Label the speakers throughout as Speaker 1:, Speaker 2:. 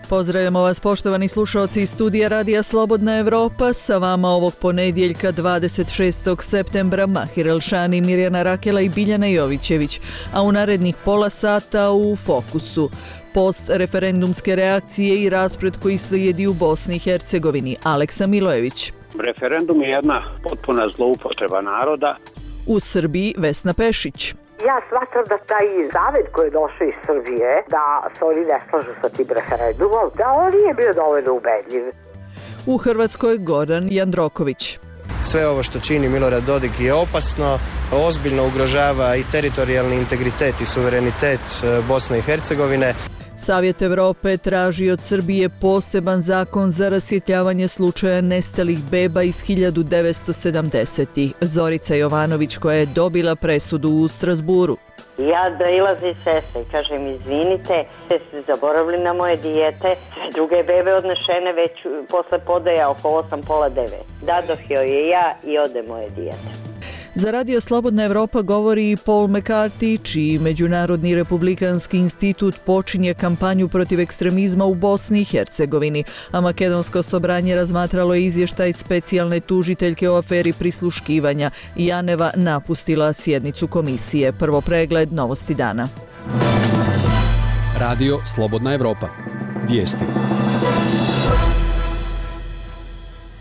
Speaker 1: Pozdravljamo vas poštovani slušalci iz studija Radija Slobodna Evropa, sa vama ovog ponedjeljka 26. septembra Mahir Elšani, Mirjana Rakela i Biljana Jovićević, a u narednih pola sata u fokusu post-referendumske reakcije i rasplet koji slijedi u Bosni i Hercegovini. Aleksa Milojević.
Speaker 2: Referendum je jedna potpuna zloupotreba naroda.
Speaker 1: U Srbiji Vesna Pešić.
Speaker 3: Ja smatram da taj savjet koji je došao iz Srbije, da se oni ne slažu sa tim referendumom, da on nije bio dovoljno ubedljiv.
Speaker 1: U Hrvatskoj Goran Jandroković.
Speaker 4: Sve ovo što čini Milorad Dodik je opasno, ozbiljno ugrožava i teritorijalni integritet i suverenitet Bosne i Hercegovine.
Speaker 1: Savjet Evrope traži od Srbije poseban zakon za rasvjetljavanje slučaja nestalih beba iz 1970-ih. Zorica Jovanović, koja je dobila presudu u Strasburu.
Speaker 5: Ja doilazim sestre i kažem, izvinite, ste zaboravili na moje dijete, sve druge bebe odnešene već posle podaja oko 8:30. Dadoh joj je ja i ode moje dijete.
Speaker 1: Za Radio Slobodna Evropa govori i Paul McCarthy, čiji Međunarodni republikanski institut počinje kampanju protiv ekstremizma u Bosni i Hercegovini, a Makedonsko sobranje razmatralo je izvještaj specijalne tužiteljke o aferi prisluškivanja. Janeva napustila sjednicu komisije. Prvo pregled novosti dana.
Speaker 6: Radio Slobodna Evropa. Vijesti.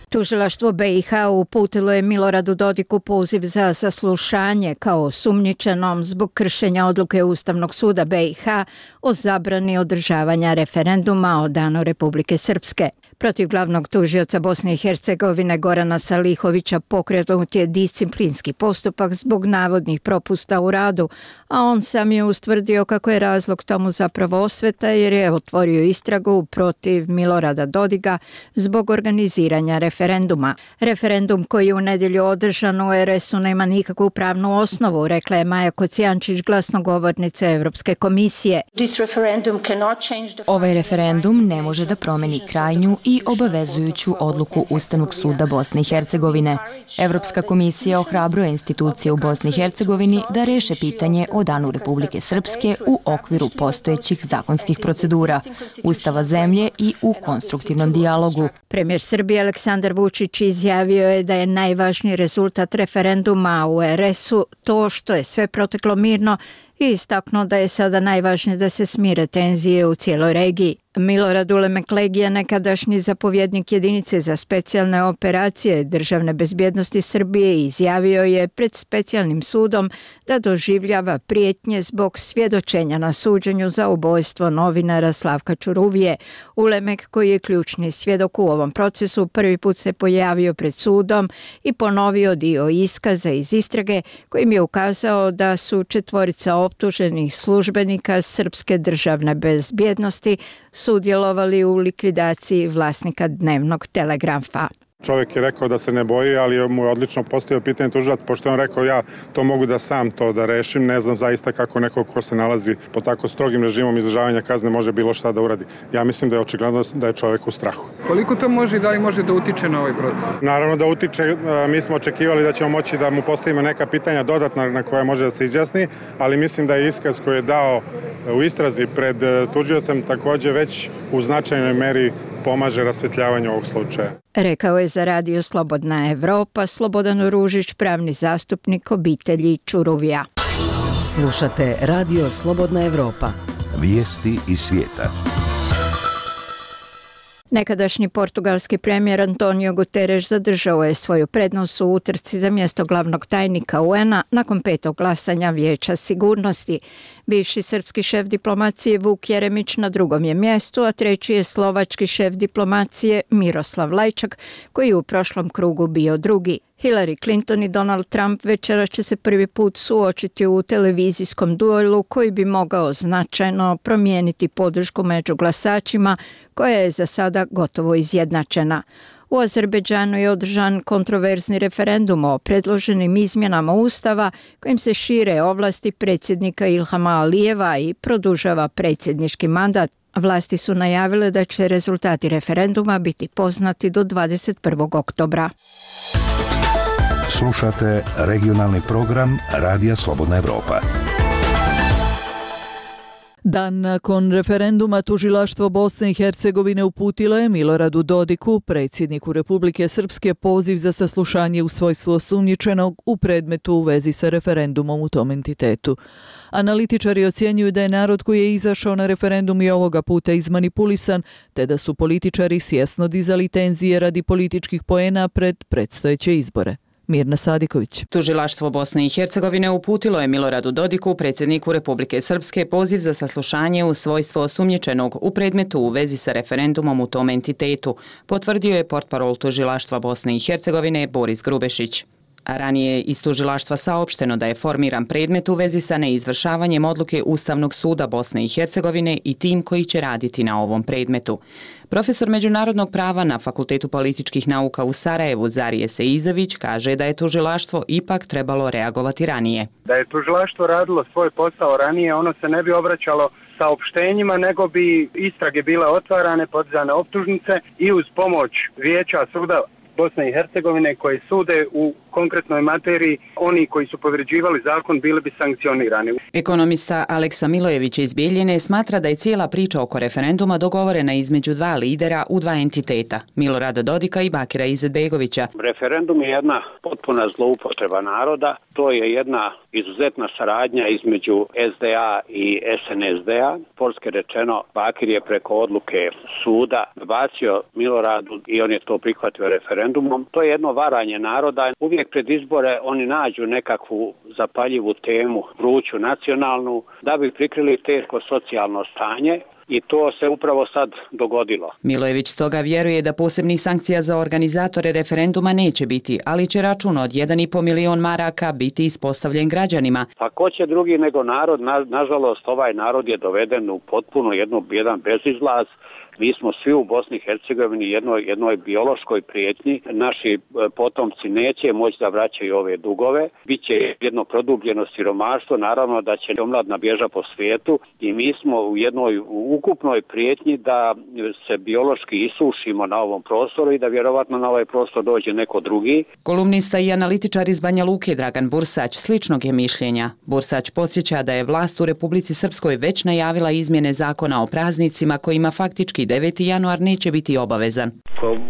Speaker 7: Tužilaštvo BiH uputilo je Miloradu Dodiku poziv za saslušanje kao osumnjičenom zbog kršenja odluke Ustavnog suda BiH o zabrani održavanja referenduma o danu Republike Srpske. Protiv glavnog tužioca Bosne i Hercegovine Gorana Salihovića pokrenut je disciplinski postupak zbog navodnih propusta u radu, a on sam je ustvrdio kako je razlog tomu zapravo osveta jer je otvorio istragu protiv Milorada Dodika zbog organiziranja referenduma. Referendum koji je u nedjelju održan u RS-u nema nikakvu pravnu osnovu, rekla je Maja Kocijančić, glasnogovornica Evropske komisije.
Speaker 8: Ovaj referendum ne može da promeni krajnju i obavezujuću odluku Ustavnog suda Bosne i Hercegovine. Evropska komisija ohrabruje institucije u Bosni i Hercegovini da reše pitanje o danu Republike Srpske u okviru postojećih zakonskih procedura, Ustava zemlje i u konstruktivnom dijalogu.
Speaker 7: Premijer Srbije Aleksandar Vučić izjavio je da je najvažniji rezultat referenduma u RS-u to što je sve proteklo mirno i istaknuo da je sada najvažnije da se smire tenzije u cijeloj regiji. Milorad Ulemek Legija, nekadašnji zapovjednik jedinice za specijalne operacije Državne bezbjednosti Srbije, izjavio je pred specijalnim sudom da doživljava prijetnje zbog svjedočenja na suđenju za ubojstvo novinara Slavka Ćuruvije. Ulemek, koji je ključni svjedok u ovom procesu, prvi put se pojavio pred sudom i ponovio dio iskaza iz istrage kojim je ukazao da su četvorica optuženih službenika Srpske državne bezbjednosti sudjelovali u likvidaciji vlasnika dnevnog telegrafa.
Speaker 9: Čovjek je rekao da se ne boji, ali mu je odlično postavio pitanje tužilac, pošto je on rekao ja to mogu da sam to da rešim, ne znam zaista kako neko ko se nalazi pod tako strogim režimom izdržavanja kazne može bilo šta da uradi. Ja mislim da je očigledno da je čovjek u strahu.
Speaker 10: Koliko to može i da li može da utiče na ovaj proces?
Speaker 9: Naravno da utiče, mi smo očekivali da ćemo moći da mu postavimo neka pitanja dodatna na koje može da se izjasni, ali mislim da je iskaz koji je dao u istrazi pred tužiocem također već u značajnoj meri pomaže rasvjetljavanju ovog slučaja.
Speaker 7: Rekao je za Radio Slobodna Evropa Slobodan Ružić, pravni zastupnik obitelji Ćuruvija.
Speaker 11: Slušate Radio Slobodna Evropa.
Speaker 12: Vijesti iz svijeta.
Speaker 7: Nekadašnji portugalski premijer Antonio Guterres zadržao je svoju prednost u utrci za mjesto glavnog tajnika UN-a nakon 5. glasanja Vijeća sigurnosti. Bivši srpski šef diplomacije Vuk Jeremić na drugom je mjestu, a treći je slovački šef diplomacije Miroslav Lajčak, koji je u prošlom krugu bio drugi. Hillary Clinton i Donald Trump večera će se prvi put suočiti u televizijskom duelu koji bi mogao značajno promijeniti podršku među glasačima, koja je za sada gotovo izjednačena. U Azerbejdžanu je održan kontroverzni referendum o predloženim izmjenama Ustava kojim se šire ovlasti predsjednika Ilhama Alijeva i produžava predsjednički mandat. Vlasti su najavile da će rezultati referenduma biti poznati do 21. oktobra.
Speaker 12: Slušate regionalni program Radija Slobodna Evropa.
Speaker 1: Dan nakon referenduma tužilaštvo Bosne i Hercegovine uputilo je Miloradu Dodiku, predsjedniku Republike Srpske, poziv za saslušanje u svojstvu osumnjičenog u predmetu u vezi sa referendumom u tom entitetu. Analitičari ocjenjuju da je narod koji je izašao na referendum i ovoga puta izmanipulisan, te da su političari svjesno dizali tenzije radi političkih poena pred predstojeće izbore. Mirna Sadiković.
Speaker 13: Tužilaštvo Bosne i Hercegovine uputilo je Miloradu Dodiku, predsjedniku Republike Srpske, poziv za saslušanje u svojstvo osumnjičenog u predmetu u vezi sa referendumom u tom entitetu, potvrdio je portparol tužilaštva Bosne i Hercegovine Boris Grubešić. A ranije je iz tužilaštva saopšteno da je formiran predmet u vezi sa neizvršavanjem odluke Ustavnog suda Bosne i Hercegovine i tim koji će raditi na ovom predmetu. Profesor međunarodnog prava na Fakultetu političkih nauka u Sarajevu Zarije Seizović kaže da je tužilaštvo ipak trebalo reagovati ranije.
Speaker 14: Da je tužilaštvo radilo svoj posao ranije, ono se ne bi obraćalo saopštenjima, nego bi istrage bile otvarane, podizane optužnice i uz pomoć Vijeća suda Bosne i Hercegovine koje sude u konkretnoj materiji, oni koji su povređivali zakon bili bi sankcionirani.
Speaker 13: Ekonomista Aleksa Milojević iz Bijeljine smatra da je cijela priča oko referenduma dogovorena između dva lidera u dva entiteta, Milorada Dodika i Bakira Izetbegovića.
Speaker 2: Referendum je jedna potpuna zloupotreba naroda, to je jedna izuzetna saradnja između SDA i SNSD-a. Polski rečeno, Bakir je preko odluke suda bacio Miloradu i on je to prihvatio referendumom. To je jedno varanje naroda. Uvijek pred izbore oni nađu nekakvu zapaljivu temu, vruću nacionalnu, da bi prikrili teško socijalno stanje. I to se upravo sad dogodilo.
Speaker 13: Milojević stoga vjeruje da posebnih sankcija za organizatore referenduma neće biti, ali će račun od 1,5 milion maraka biti ispostavljen građanima.
Speaker 2: Pa ko će drugi nego narod? Nažalost, ovaj narod je doveden u potpuno jedan bezizlaz. Mi smo svi u Bosni i Hercegovini jednoj biološkoj prijetnji. Naši potomci neće moći da vraćaju ove dugove. Biće jedno produbljeno siromaštvo, naravno da će omladna bježa po svijetu i mi smo u jednoj ukupnoj prijetnji da se biološki isušimo na ovom prostoru i da vjerovatno na ovaj prostor dođe neko drugi.
Speaker 13: Kolumnista i analitičar iz Banja Luke Dragan Bursać sličnog je mišljenja. Bursać podsjeća da je vlast u Republici Srpskoj već najavila izmjene zakona o praznicima kojima faktički 9. januar neće biti obavezan.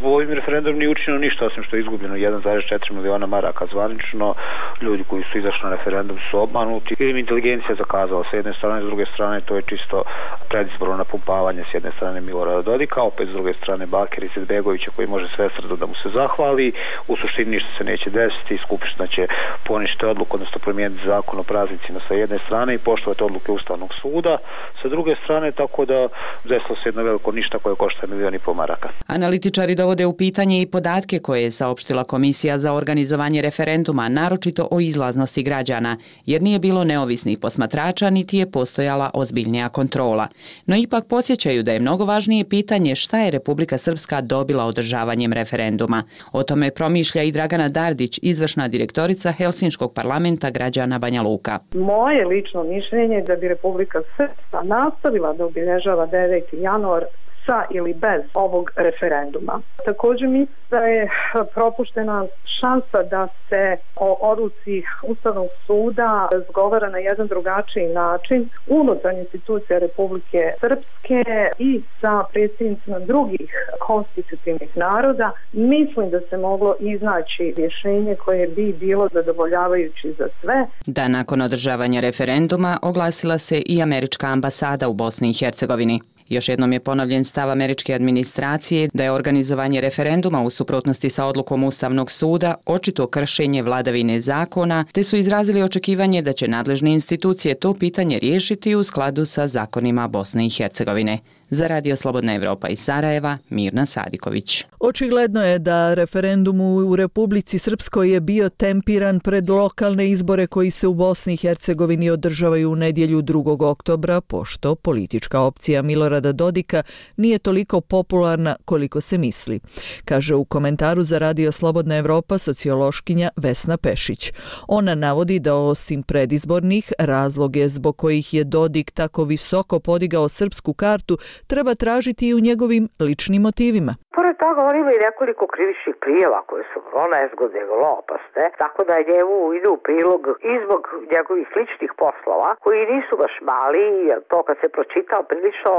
Speaker 15: Ovim referendum nije učinjeno ništa osim što je izgubljeno 1,4 miliona maraka zvanično. Ljudi koji su izašli na referendum su obmanuti. Ili inteligencija zakazala s jedne strane, s druge strane to je čisto predizborno napumpavanje s jedne strane Milorada Dodika, opet s druge strane Bakira Izetbegovića koji može sve srdo da mu se zahvali. U suštini ništa se neće desiti, Skupština će poništiti odluku, odnosno promijeniti zakon o praznicima sa jedne strane i poštovati odluke Ustavnog suda sa druge strane, tako da desilo se jedno veliko ništa koje košta 1,5 miliona maraka.
Speaker 13: Analitičari dovode u pitanje i podatke koje je saopštila Komisija za organizovanje referenduma, naročito o izlaznosti građana, jer nije bilo neovisnih posmatrača niti je postojala ozbiljnija kontrola. No ipak podsjećaju da je mnogo važnije pitanje šta je Republika Srpska dobila održavanjem referenduma. O tome promišlja i Dragana Dardić, izvršna direktorica Helsinškog parlamenta građana Banja Luka.
Speaker 16: Moje lično mišljenje je da bi Republika Srpska nastavila da obilježava 9. januar sa ili bez ovog referenduma. Također mislim da je propuštena šansa da se o odluci Ustavnog suda razgovara na jedan drugačiji način unutar institucija Republike Srpske i sa predsjednicima drugih konstitutivnih naroda. Mislim da se moglo iznaći rješenje koje bi bilo zadovoljavajući za sve.
Speaker 13: Da nakon održavanja referenduma oglasila se i američka ambasada u Bosni i Hercegovini. Još jednom je ponovljen stav američke administracije da je organizovanje referenduma u suprotnosti sa odlukom Ustavnog suda očito kršenje vladavine zakona, te su izrazili očekivanje da će nadležne institucije to pitanje riješiti u skladu sa zakonima Bosne i Hercegovine. Za Radio Slobodna Evropa iz Sarajeva, Mirna Sadiković.
Speaker 1: Očigledno je da referendum u Republici Srpskoj je bio tempiran pred lokalne izbore koji se u Bosni i Hercegovini održavaju u nedjelju 2. oktobra, pošto politička opcija Milorada Dodika nije toliko popularna koliko se misli, kaže u komentaru za Radio Slobodna Evropa sociološkinja Vesna Pešić. Ona navodi da osim predizbornih razloge zbog kojih je Dodik tako visoko podigao srpsku kartu treba tražiti i u njegovim ličnim motivima.
Speaker 3: Pored toga, on ima i nekoliko krivičnih prijava koje su vrlo nezgodne i vrlo opasne, tako da njemu ide u prilog i zbog njegovih ličnih poslova, koji nisu baš mali, jer to kad se pročitao prilično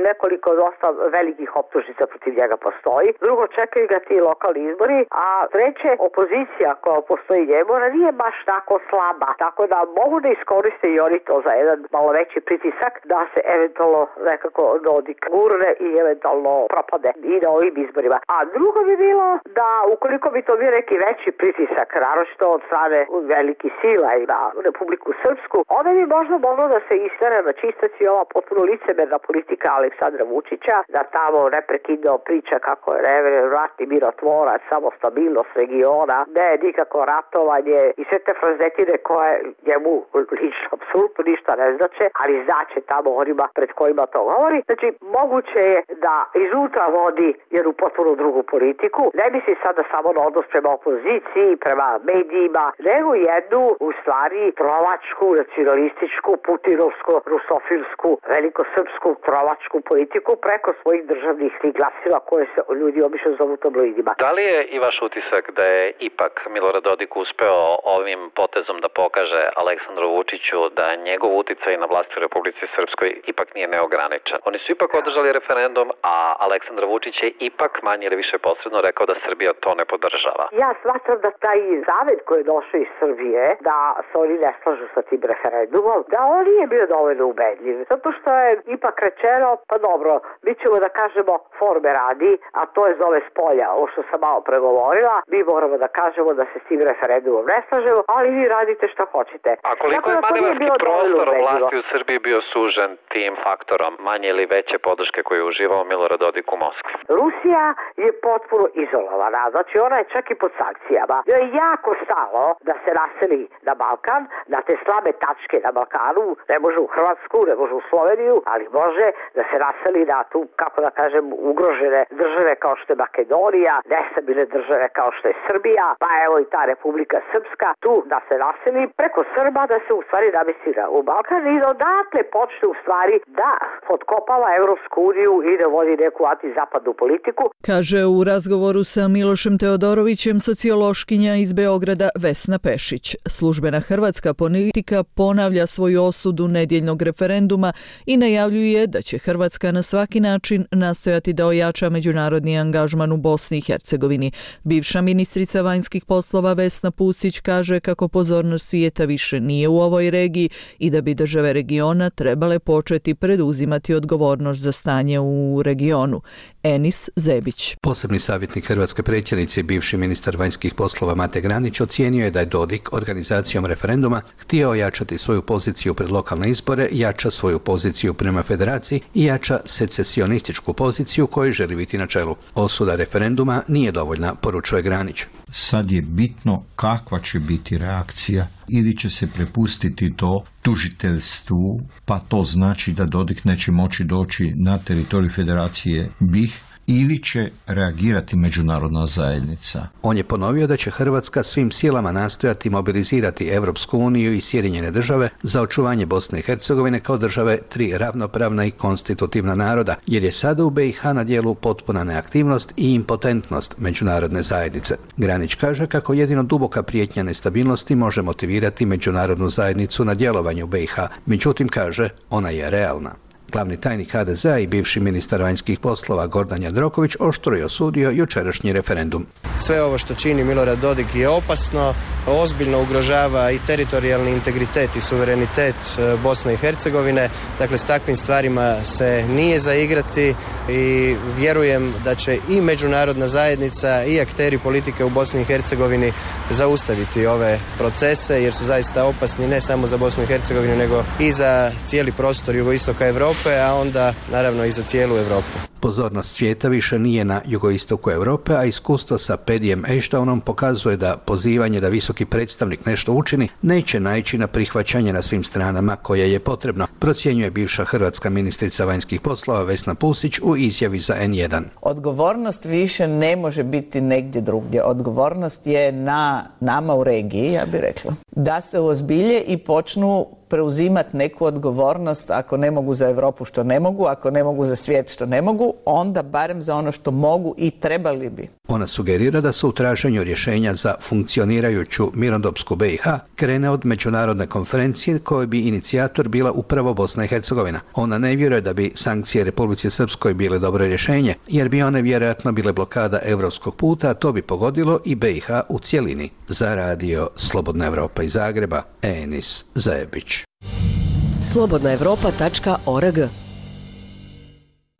Speaker 3: nekoliko dosta velikih optužnica protiv njega postoji. Drugo, čekaju ga ti lokalni izbori, a treće, opozicija koja postoji njemu, ona nije baš tako slaba, tako da mogu da iskoriste i oni to za jedan malo veći pritisak da se eventualno nekako Dodik gurne i eventualno propade i na ovim izborima. A drugo bi bilo da ukoliko bi to bio neki veći pritisak, naročito od strane velikih sila i na Republiku Srpsku, onda bi možda moglo da se istane na čistac i ova potpuno licemerna politika Aleksandra Vučića, da tamo neprekidno priča kako je ratni mirotvorac, samo stabilnost regiona, ne nikako ratovanje i sve te frazetine koje njemu lično apsolutno ništa ne znače, ali znače tamo onima pred kojima to govori. Znači, moguće je da iznutra vodi jednu potpuno drugu politiku. Ne misli sada samo na odnos prema opoziciji, prema medijima, nego jednu, u stvari, trovačku, nacionalističku, putinovsku, rusofilsku, velikosrpsku trovačku politiku preko svojih državnih glasila koje se ljudi obično zovu tabloidima.
Speaker 17: Da li je i vaš utisak da je ipak Milorad Dodik uspeo ovim potezom da pokaže Aleksandru Vučiću da njegov uticaj na vlasti u Republici Srpskoj ipak nije neograničen? Oni su ipak održali referendum, a Aleksandar Vučić je ipak manje ili više posredno rekao da Srbija to ne podržava.
Speaker 3: Ja smatram da taj zavet koji je došao iz Srbije, da se oni ne slažu sa tim referendumom, da on nije bio dovoljno ubedljiv. Zato što je ipak rečeno, pa dobro, mi ćemo da kažemo forme radi, a to je zove spolja, ovo što sam malo pregovorila, mi moramo da kažemo da se s tim referendumom ne slažemo, ali vi radite što hoćete.
Speaker 17: A koliko je manevarski prostor vlasti u Srbiji bio sužen tim faktorom manje ili veće podrške koju je uživao Milorad Dodik u Moskvi?
Speaker 3: Rusija je potpuno izolovana, znači ona je čak i pod sankcijama. Joj je jako stalo da se naseli na Balkan, na te slabe tačke na Balkanu, ne može u Hrvatsku, ne može u Sloveniju, ali može da se naseli na tu, kako da kažem, ugrožene države kao što je Makedonija, nestabilne države kao što je Srbija, pa evo i ta Republika Srpska, tu da se naseli preko Srba, da se u stvari namesti u Balkan i da odatle počne u stvari da potkopava Evropsku uniju i da vodi neku antizapadnu politiku.
Speaker 1: Kaže u razgovoru sa Milošem Teodorovićem sociološkinja iz Beograda Vesna Pešić. Službena hrvatska politika ponavlja svoju osudu nedjeljnog referenduma i najavljuje da će Hrvatska na svaki način nastojati da ojača međunarodni angažman u Bosni i Hercegovini. Bivša ministrica vanjskih poslova Vesna Pusić kaže kako pozornost svijeta više nije u ovoj regiji i da bi države regiona trebale početi preduzimati odgovornost za stanje u regionu. Enis Zebić.
Speaker 18: Posebni savjetnik hrvatske predsjednice i bivši ministar vanjskih poslova Mate Granić ocijenio je da je Dodik organizacijom referenduma htio ojačati svoju poziciju pred lokalne izbore, jača svoju poziciju prema federaciji i jača secesionističku poziciju koju želi biti na čelu. Osuda referenduma nije dovoljna, poručuje Granić.
Speaker 19: Sad je bitno kakva će biti reakcija ili će se prepustiti to tužiteljstvu, pa to znači da Dodik neće moći doći na teritorij federacije BiH, ili će reagirati međunarodna zajednica.
Speaker 18: On je ponovio da će Hrvatska svim silama nastojati mobilizirati Evropsku uniju i Sjedinjene države za očuvanje Bosne i Hercegovine kao države tri ravnopravna i konstitutivna naroda, jer je sada u BiH na djelu potpuna neaktivnost i impotentnost međunarodne zajednice. Granić kaže kako jedino duboka prijetnja nestabilnosti može motivirati međunarodnu zajednicu na djelovanju BiH, međutim kaže ona je realna. Glavni tajnik HDZ-a i bivši ministar vanjskih poslova Gordan Jandroković oštro je osudio jučerašnji referendum.
Speaker 4: Sve ovo što čini Milorad Dodik je opasno, ozbiljno ugrožava i teritorijalni integritet i suverenitet Bosne i Hercegovine. Dakle, s takvim stvarima se nije zaigrati i vjerujem da će i međunarodna zajednica i akteri politike u Bosni i Hercegovini zaustaviti ove procese jer su zaista opasni ne samo za Bosnu i Hercegovinu nego i za cijeli prostor jugoistoka Europe, a onda naravno i za cijelu Europu.
Speaker 18: Pozornost svijeta više nije na jugoistoku Europe, a iskustvo sa Pedijem Ejštaunom pokazuje da pozivanje da visoki predstavnik nešto učini neće naići na prihvaćanje na svim stranama koje je potrebno, procjenjuje bivša hrvatska ministrica vanjskih poslova Vesna Pusić u izjavi za N1.
Speaker 20: Odgovornost više ne može biti negdje drugdje. Odgovornost je na nama u regiji, ja bih rekla, da se uozbilje i počnu preuzimati neku odgovornost ako ne mogu za Europu što ne mogu, ako ne mogu za svijet što ne mogu, onda barem za ono što mogu i trebali bi.
Speaker 18: Ona sugerira da se u traženju rješenja za funkcionirajuću mirnodopsku BiH krene od međunarodne konferencije koje bi inicijator bila upravo Bosna i Hercegovina. Ona ne vjeruje da bi sankcije Republici Srpskoj bile dobro rješenje, jer bi one vjerojatno bile blokada europskog puta, a to bi pogodilo i BiH u cjelini. Za radio Slobodna Evropa iz Zagreba, Enis Zajebić.
Speaker 11: slobodnaevropa.org.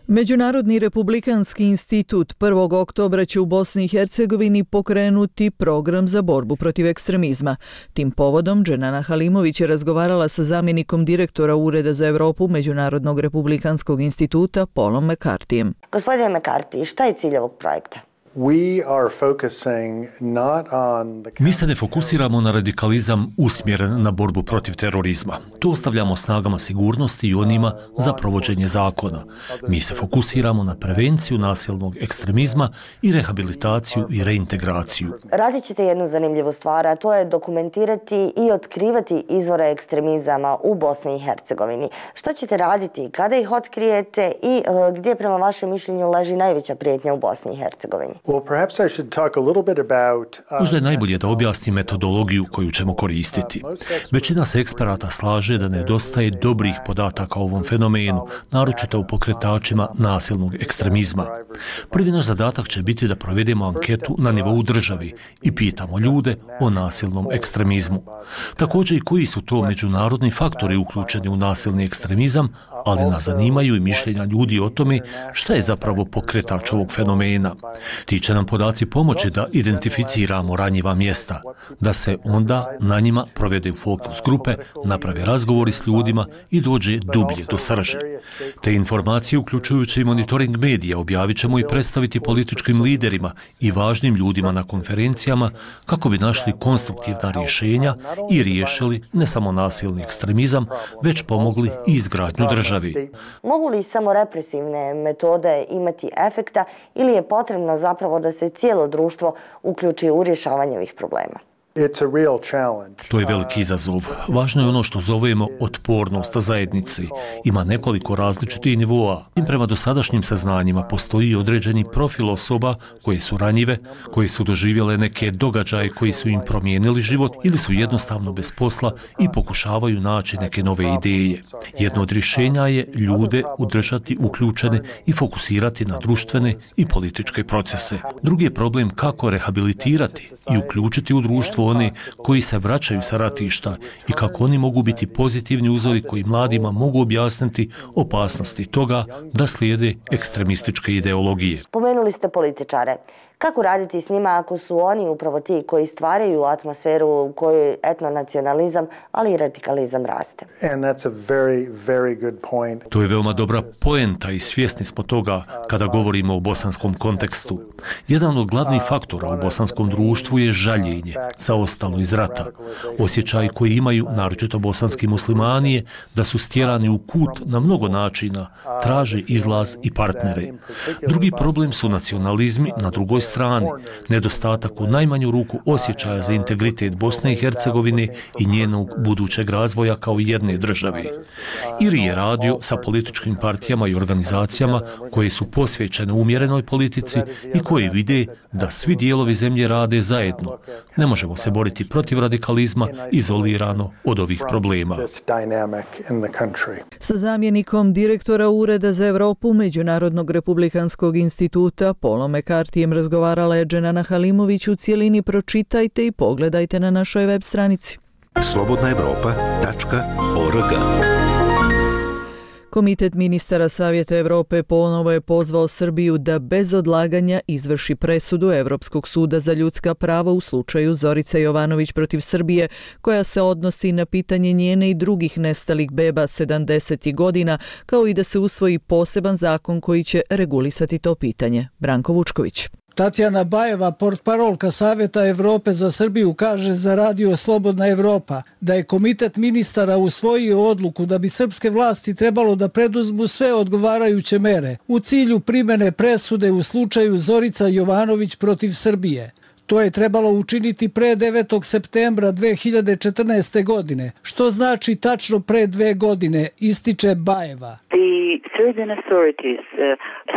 Speaker 1: Međunarodni republikanski institut 1. oktobra će u Bosni i Hercegovini pokrenuti program za borbu protiv ekstremizma. Tim povodom Dženana Halimović je razgovarala sa zamjenikom direktora Ureda za Europu Međunarodnog republikanskog instituta Paulom McCarthyjem.
Speaker 21: Gospodine McCarthy, šta je cilj ovog projekta?
Speaker 22: Mi se ne fokusiramo na radikalizam usmjeren na borbu protiv terorizma. To ostavljamo snagama sigurnosti i onima za provođenje zakona. Mi se fokusiramo na prevenciju nasilnog ekstremizma i rehabilitaciju i reintegraciju.
Speaker 21: Radit ćete jednu zanimljivu stvar, a to je dokumentirati i otkrivati izvore ekstremizama u Bosni i Hercegovini. Što ćete raditi kada ih otkrijete i gdje prema vašem mišljenju leži najveća prijetnja u Bosni i Hercegovini?
Speaker 22: Možda je najbolje da objasnim metodologiju koju ćemo koristiti. Većina se eksperata slaže da nedostaje dobrih podataka o ovom fenomenu, naročito u pokretačima nasilnog ekstremizma. Prvi naš zadatak će biti da provedemo anketu na nivou državi i pitamo ljude o nasilnom ekstremizmu. Također i koji su to međunarodni faktori uključeni u nasilni ekstremizam, ali nas zanimaju i mišljenja ljudi o tome šta je zapravo pokretač ovog fenomena. Ti će nam podaci pomoći da identificiramo ranjiva mjesta, da se onda na njima provede fokus grupe, naprave razgovori s ljudima i dođe dublje do srži. Te informacije, uključujući i monitoring medija, objavit ćemo i predstaviti političkim liderima i važnim ljudima na konferencijama kako bi našli konstruktivna rješenja i riješili ne samo nasilni ekstremizam, već pomogli i izgradnju države.
Speaker 21: Mogu li samo represivne metode imati efekta ili je potrebno zapravo da se cijelo društvo uključi u rješavanje ovih problema?
Speaker 22: To je veliki izazov. Važno je ono što zovemo otpornost zajednice. Ima nekoliko različitih nivoa. Prema dosadašnjim saznanjima postoji određeni profil osoba koje su ranjive, koje su doživjele neke događaje koji su im promijenili život ili su jednostavno bez posla i pokušavaju naći neke nove ideje. Jedno od rješenja je ljude udržati uključene i fokusirati na društvene i političke procese. Drugi je problem kako rehabilitirati i uključiti u društvo one koji se vraćaju sa ratišta i kako oni mogu biti pozitivni uzori koji mladima mogu objasniti opasnosti toga da slijede ekstremističke ideologije.
Speaker 21: Pomenuli ste političare. Kako raditi s njima ako su oni upravo ti koji stvaraju atmosferu u kojoj etnonacionalizam, ali i radikalizam raste?
Speaker 22: To je veoma dobra poenta i svjesni smo toga kada govorimo o bosanskom kontekstu. Jedan od glavnih faktora u bosanskom društvu je žaljenje zaostalo iz rata. Osjećaj koji imaju, naročito bosanski muslimani, je da su stjerani u kut na mnogo načina, traže izlaz i partnere. Drugi problem su nacionalizmi na drugoj strani, nedostatak u najmanju ruku osjećaja za integritet Bosne i Hercegovine i njenog budućeg razvoja kao jedne države. Ili je radio sa političkim partijama i organizacijama koje su posvećene umjerenoj politici i koje vide da svi dijelovi zemlje rade zajedno. Ne možemo se boriti protiv radikalizma izolirano od ovih problema.
Speaker 1: Sa zamjenikom direktora Ureda za Europu Međunarodnog republikanskog instituta Paulom McCarthyjem razgovarala je Dženana Halimović. U cijelini pročitajte i pogledajte na našoj web stranici.
Speaker 12: slobodnaevropa.org.
Speaker 1: Komitet ministara Savjeta Europe ponovo je pozvao Srbiju da bez odlaganja izvrši presudu Europskog suda za ljudska prava u slučaju Zorice Jovanović protiv Srbije, koja se odnosi na pitanje njene i drugih nestalih beba 70. godina, kao i da se usvoji poseban zakon koji će regulisati to pitanje. Branko Vučković.
Speaker 23: Tatjana Bajeva, portparolka Savjeta Europe za Srbiju, kaže za radio Slobodna Evropa da je komitet ministara usvojio odluku da bi srpske vlasti trebalo da preduzmu sve odgovarajuće mere u cilju primjene presude u slučaju Zorica Jovanović protiv Srbije. To je trebalo učiniti pre 9. septembra 2014. godine, što znači tačno pre 2 godine, ističe Bajeva.
Speaker 5: The Serbian authorities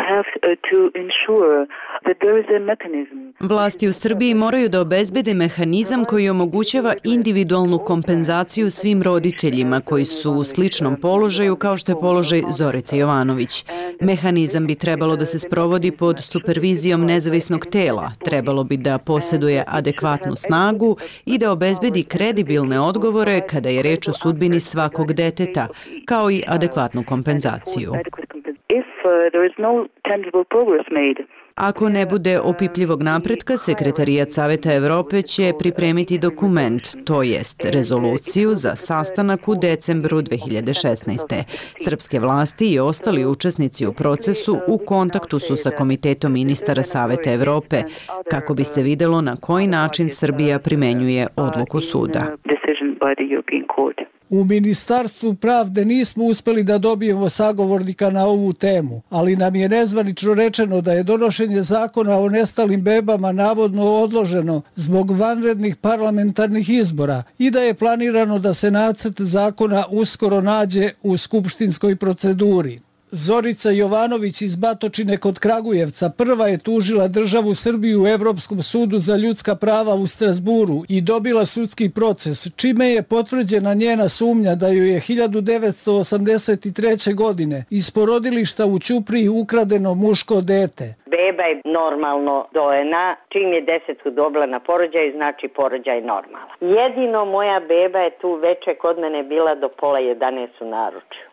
Speaker 5: have to ensure that there is a mechanism.
Speaker 6: Vlasti u Srbiji moraju da obezbede mehanizam koji omogućava individualnu kompenzaciju svim roditeljima koji su u sličnom položaju kao što je položaj Zorice Jovanović. Mehanizam bi trebalo da se sprovodi pod supervizijom nezavisnog tela, trebalo bi da posjeduje adekvatnu snagu i da obezbedi kredibilne odgovore kada je reč o sudbini svakog deteta, kao i adekvatnu kompenzaciju. Ako ne bude opipljivog napretka, Sekretarijat Saveta Evrope će pripremiti dokument, to jest rezoluciju za sastanak u decembru 2016. Srpske vlasti i ostali učesnici u procesu u kontaktu su sa Komitetom ministara Saveta Evrope, kako bi se videlo na koji način Srbija primenjuje odluku suda.
Speaker 23: U Ministarstvu pravde nismo uspeli da dobijemo sagovornika na ovu temu, ali nam je nezvanično rečeno da je donošenje zakona o nestalim bebama navodno odloženo zbog vanrednih parlamentarnih izbora i da je planirano da se nacrt zakona uskoro nađe u skupštinskoj proceduri. Zorica Jovanović iz Batočine kod Kragujevca prva je tužila državu Srbiju u Evropskom sudu za ljudska prava u Strasburu i dobila sudski proces, čime je potvrđena njena sumnja da joj je 1983. godine iz porodilišta u Ćupriji ukradeno muško dete.
Speaker 8: Beba je normalno dojena, čim je 10 dobila na porođaj, znači porođaj normalan. Jedino moja beba je tu veče kod mene bila do 10:30 u naručju.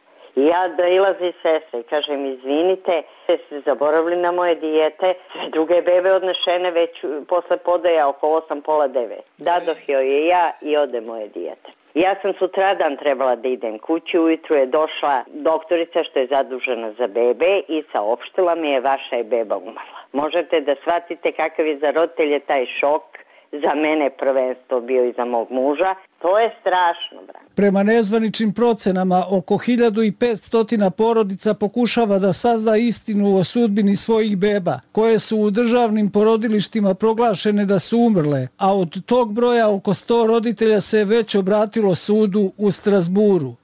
Speaker 8: Ja dolazi sestra i kažem, izvinite, ste zaboravili na moje dijete, sve druge bebe odnešene već posle podaja oko 8:30. Dadoh joj je ja i ode moje dijete. Ja sam sutradan trebala da idem kući, ujutru je došla doktorica što je zadužena za bebe i saopštila mi je vaša je beba umrla. Možete da shvatite kakav je za roditelje taj šok, za mene prvenstvo bio i za mog muža. To je strašno, brate.
Speaker 23: Prema nezvaničnim procenama, oko 1500 porodica pokušava da sazna istinu o sudbini svojih beba, koje su u državnim porodilištima proglašene da su umrle, a od tog broja oko 100 roditelja se već obratilo sudu u Strasburu.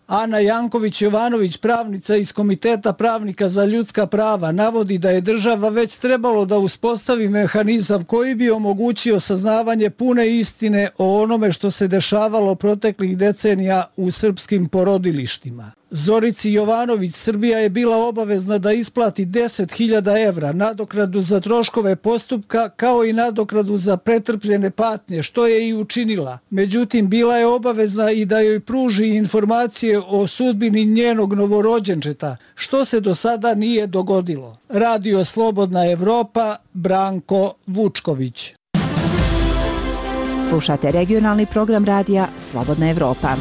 Speaker 23: Ana Janković-Jovanović, pravnica iz Komiteta pravnika za ljudska prava, navodi da je država već trebalo da uspostavi mehanizam koji bi omogućio saznavanje pune istine o onome što se dešavalo proteklih decenija u srpskim porodilištima. Zorici Jovanović Srbija je bila obavezna da isplati 10.000 evra nadoknadu za troškove postupka kao i nadoknadu za pretrpljene patnje, što je i učinila. Međutim, bila je obavezna i da joj pruži informacije o sudbini njenog novorođenčeta, što se do sada nije dogodilo. Radio Slobodna Evropa, Branko Vučković.
Speaker 24: Slušate regionalni program radija Slobodna Evropa.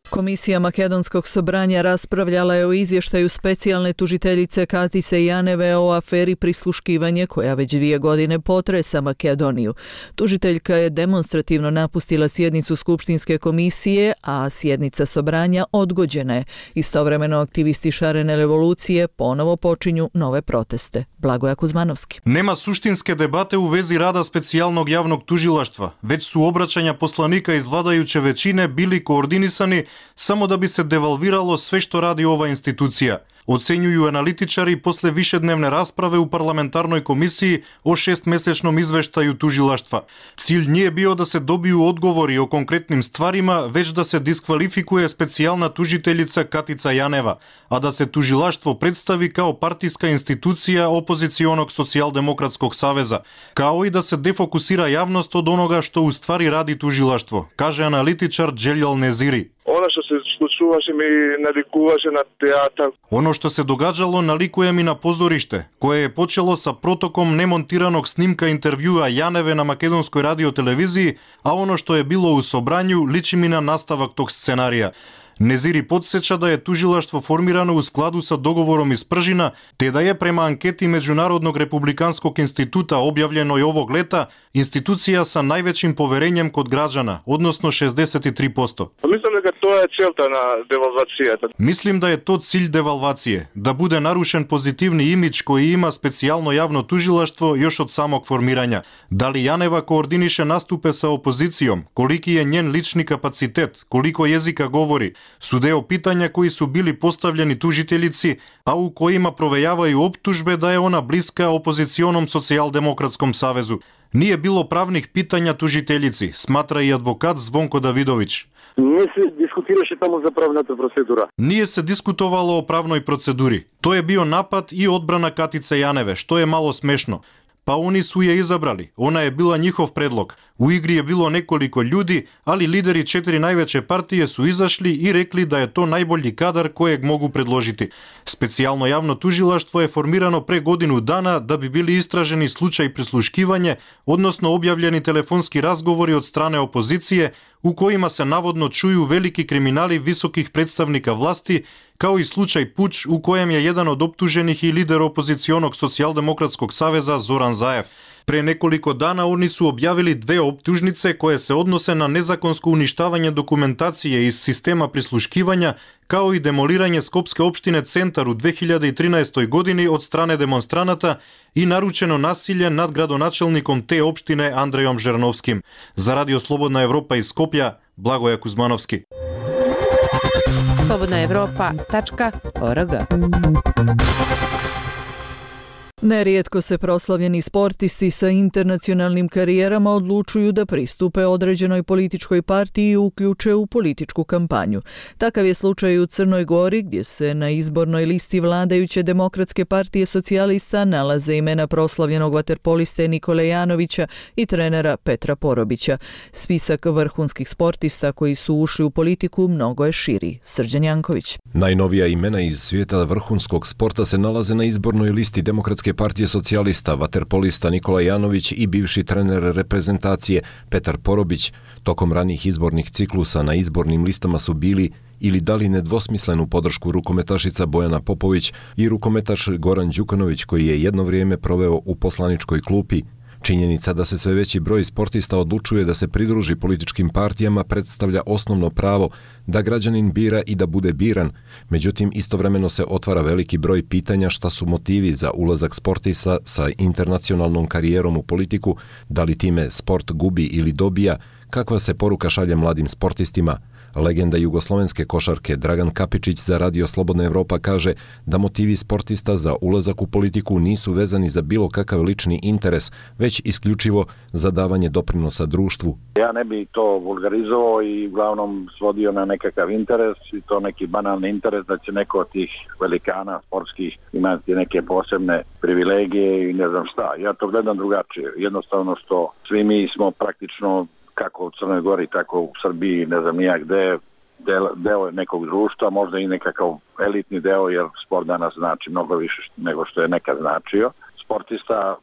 Speaker 1: Komisija Makedonskog sobranja raspravljala je o izvještaju specijalne tužiteljice Katise Janeve o aferi prisluškivanje koja već 2 godine potresa Makedoniju. Tužiteljka je demonstrativno napustila sjednicu Skupštinske komisije, a sjednica sobranja odgođena je. Istovremeno aktivisti šarene revolucije ponovo počinju nove proteste. Blagoja Kuzmanovski.
Speaker 25: Нема суштинске дебате у вези рада специјалног јавног тужилаштва, веќе су обраќања посланика из владајуче веćине били координисани само да би се девалвирало све што ради ова институција. Оценјују аналитичари после вишедневне расправе у парламентарној комисии о 6-месечном извештају тужилаштва. Цилј не е био да се добију одговори о конкретним стварима, веќе да се дисквалификуе специјална тужителица Катица Јанева, а да се тужилаштво представи као партиска институција опозиционог социјалдемократског савеза, као и да се дефокусира јавност од онога што уствари ради тужилаштво, каже аналитичар Джелјал Незири.
Speaker 26: Ono što se случуваше ми наликуваше на театар.
Speaker 25: Оно што се догаѓало наликуе ми на позориште, кое е почело са протоком немонтираnog снимка интервјуа Јаневе на македонској радиотелевизiji, а оно што е било у собрању личи ми на наставак тог сценарија. Незири подсеча да е тужилаштво формирано у складу со договором из Пржина, те да е према анкети Меđunarodnog републиканскog института објавljeno овог лета, институција sa највеćim поверењем код граđana, односно 63%.
Speaker 26: Мислам дека тоа е целта на девалвацијата.
Speaker 25: Мислим да е тоа cilj девалвација, да биде нарушен позитивни имидж кој има специјално јавно тужилаштво још од самог формирање. Дали Јанева координише наступе со опозицијом, колики е нjen лични капацитет, колико језика говори, су део питања кои су били поставljeni тужителици, а у коима провејавају оптужбе да е она блиска опозиционом социјалдемократском савезу. Nije bilo pravnih pitanja tužiteljici, smatra i advokat Zvonko Davidović.
Speaker 2: Не се дискутираше таму за правната процедура.
Speaker 25: Nije se diskutovalo o pravnoj proceduri. To je bio napad i odbrana Katice Janeve, što je malo smešno. Pa oni su je izabrali, ona je bila njihov predlog. U igri je bilo nekoliko ljudi, ali lideri 4 najveće partije su izašli i rekli da je to najbolji kadar kojeg mogu predložiti. Specijalno javno tužilaštvo je formirano pre godinu dana da bi bili istraženi slučaj prisluškivanje, odnosno objavljeni telefonski razgovori od strane opozicije u kojima se navodno čuju veliki kriminali visokih predstavnika vlasti, kao i slučaj Puč u kojem je jedan od optuženih i lider opozicionog socijaldemokratskog saveza Zoran Zaev. Pre nekoliko dana oni su objavili 2 optužnice koje se odnose na nezakonsko uništavanje dokumentacije iz sistema prisluškivanja, kao i demoliranje Skopske opštine Centar u 2013. godini od strane demonstranata i naručeno nasilje nad gradonačelnikom te opštine Andrejom Žernovskim. Za Radio Slobodna Evropa iz Skoplja, Blagoje Kuzmanovski.
Speaker 7: slobodnaevropa.org.
Speaker 1: Nerijetko se proslavljeni sportisti sa internacionalnim karijerama odlučuju da pristupe određenoj političkoj partiji i uključe u političku kampanju. Takav je slučaj u Crnoj Gori, gdje se na izbornoj listi vladajuće Demokratske partije socijalista nalaze imena proslavljenog vaterpoliste Nikole Janovića i trenera Petra Porobića. Spisak vrhunskih sportista koji su ušli u politiku mnogo je širi. Srđan Janković.
Speaker 9: Najnovija imena iz svijeta vrhunskog sporta se nalaze na izbornoj listi Demokratske partije socijalista, vaterpolista Nikola Janović i bivši trener reprezentacije Petar Porobić. Tokom ranih izbornih ciklusa na izbornim listama su bili ili dali nedvosmislenu podršku rukometašica Bojana Popović i rukometaš Goran Đukanović, koji je jedno vrijeme proveo u poslaničkoj klupi. Činjenica da se sve veći broj sportista odlučuje da se pridruži političkim partijama predstavlja osnovno pravo da građanin bira i da bude biran. Međutim, istovremeno se otvara veliki broj pitanja šta su motivi za ulazak sportista sa internacionalnom karijerom u politiku, da li time sport gubi ili dobija, kakva se poruka šalje mladim sportistima. Legenda jugoslovenske košarke Dragan Kapičić za Radio Slobodna Evropa kaže da motivi sportista za ulazak u politiku nisu vezani za bilo kakav lični interes, već isključivo za davanje doprinosa društvu.
Speaker 2: Ja ne bi to vulgarizovao i uglavnom svodio na nekakav interes, i to neki banalni interes da će neko od tih velikana sportskih imati neke posebne privilegije i ne znam šta. Ja to gledam drugačije. Jednostavno što svi mi smo praktično kako u Crnoj Gori, tako u Srbiji, ne znam nijak gde, deo nekog društva, možda i nekakav elitni deo, jer sport danas znači mnogo više nego što je nekad značio. Sportista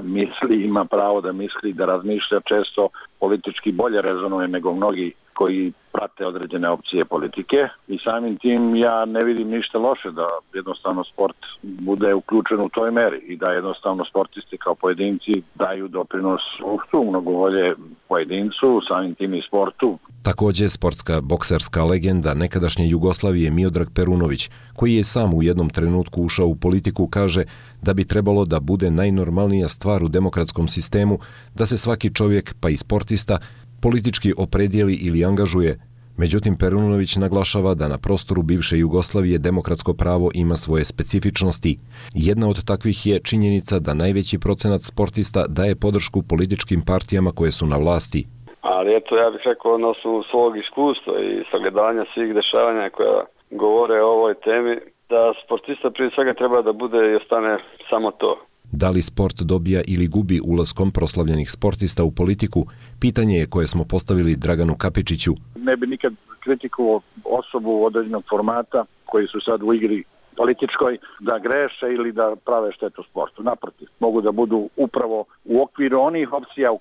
Speaker 2: misli, ima pravo da misli, da razmišlja, često politički bolje rezonuje nego mnogi koji prate određene opcije politike i samim tim ja ne vidim ništa loše da jednostavno sport bude uključen u toj meri i da jednostavno sportisti kao pojedinci daju doprinos društvu, mnogo volje pojedincu, samim tim i sportu.
Speaker 9: Također sportska bokserska legenda nekadašnje Jugoslavije Miodrag Perunović, koji je sam u jednom trenutku ušao u politiku, kaže da bi trebalo da bude najnormalnija stvar u demokratskom sistemu da se svaki čovjek, pa i sportista, politički opredijeli ili angažuje. Međutim, Perunović naglašava da na prostoru bivše Jugoslavije demokratsko pravo ima svoje specifičnosti. Jedna od takvih je činjenica da najveći procenat sportista daje podršku političkim partijama koje su na vlasti.
Speaker 10: Ali eto, ja bih rekao na osnovu svog iskustva i sagledanja svih dešavanja koja govore o ovoj temi, da sportista prije svega treba da bude i ostane samo to.
Speaker 9: Da li sport dobija ili gubi ulaskom proslavljenih sportista u politiku, pitanje je koje smo postavili Draganu Kapičiću.
Speaker 2: Ne bi nikad kritikovao osobu određenog formata koji su sad u igri političkoj da greše ili da prave štetu sportu. Naprotiv, mogu da budu upravo u okviru onih opcija u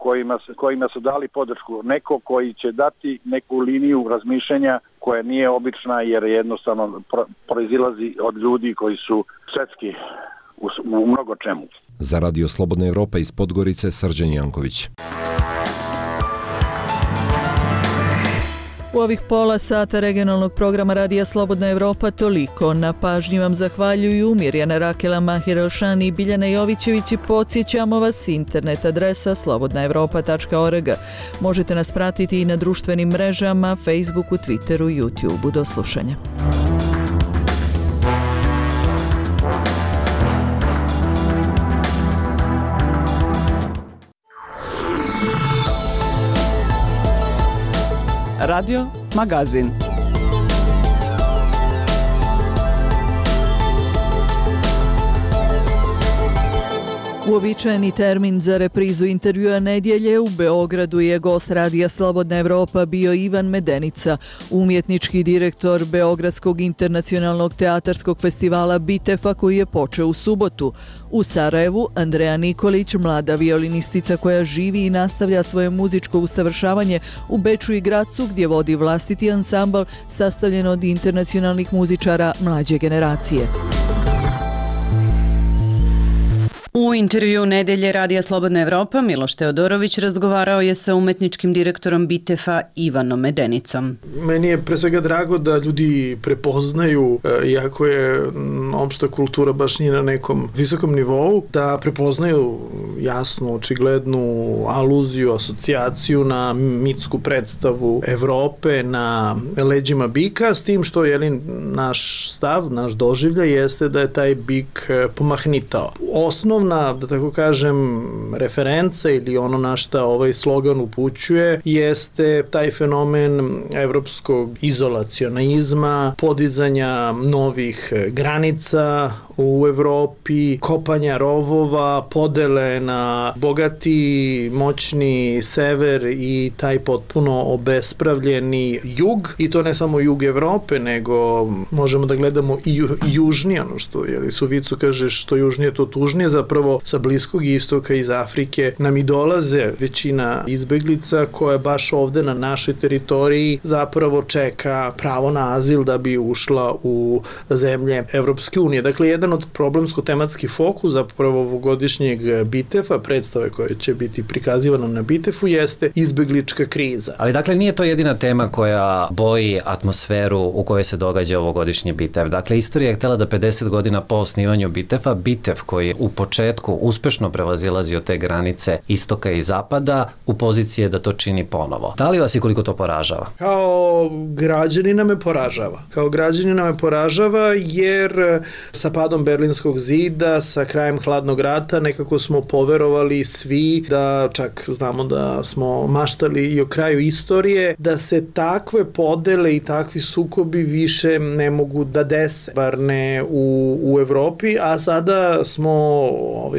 Speaker 2: kojima su dali podršku. Neko koji će dati neku liniju razmišljanja koja nije obična jer jednostavno proizilazi od ljudi koji su svetski u mnogo čemu.
Speaker 9: Za Radio Slobodna Evropa iz Podgorice, Srđan Janković.
Speaker 1: U ovih pola sata regionalnog programa Radija Slobodna Evropa toliko. Na pažnji vam zahvaljuju Mirjana Rakela, Mahir Elšani i Biljana Jovićević i podsjećamo vas internet adresa slobodnaevropa.org. Možete nas pratiti i na društvenim mrežama, Facebooku, Twitteru, YouTubeu. Do slušanja.
Speaker 3: Radio Magazin.
Speaker 1: Uobičajeni termin za reprizu intervjua nedjelje u Beogradu je gost Radija Slobodna Evropa bio Ivan Medenica, umjetnički direktor Beogradskog internacionalnog teatarskog festivala Bitefa koji je počeo u subotu. U Sarajevu Andreja Nikolić, mlada violinistica koja živi i nastavlja svoje muzičko usavršavanje u Beču i Gracu gdje vodi vlastiti ansambl sastavljen od internacionalnih muzičara mlađe generacije.
Speaker 6: U intervju Nedelje Radija Slobodna Evropa Miloš Teodorović razgovarao je sa umetničkim direktorom Bitefa Ivanom Medenicom.
Speaker 13: Meni je pre svega drago da ljudi prepoznaju, iako je opšta kultura baš nije na nekom visokom nivou, da prepoznaju jasnu, očiglednu aluziju, asocijaciju na mitsku predstavu Evrope na leđima bika, s tim što naš stav, naš doživljaj jeste da je taj bik pomahnitao. Osnovna, da tako kažem, referenca ili ono na šta ovaj slogan upućuje jeste taj fenomen evropskog izolacionizma, podizanja novih granica u Evropi, kopanja rovova, podele na bogati, moćni sever i taj potpuno obespravljeni jug, i to ne samo jug Evrope, nego možemo da gledamo i južnije, ono što Suvicu kaže, što južnije to tužnije, zapravo sa Bliskog istoka iz Afrike nam i dolaze većina izbeglica koja baš ovde na našoj teritoriji zapravo čeka pravo na azil da bi ušla u zemlje Evropske unije. Dakle, jedan od problemsko-tematski fokus zapravo ovogodišnjeg Bitefa, predstave koje će biti prikazivana na Bitefu, jeste izbeglička kriza.
Speaker 14: Ali dakle nije to jedina tema koja boji atmosferu u kojoj se događa ovogodišnji Bitef. Dakle, istorija je htjela da 50 godina po osnivanju Bitefa, Bitef koji u početku uspešno prevazilazio te granice istoka i zapada, u poziciji je da to čini ponovo. Da li vas i koliko to poražava?
Speaker 13: Kao građanina me poražava jer sa padom Berlinskog zida, sa krajem hladnog rata nekako smo poverovali svi, da čak znamo da smo maštali i o kraju istorije, da se takve podele i takvi sukobi više ne mogu da dese, bar ne u Evropi, a sada smo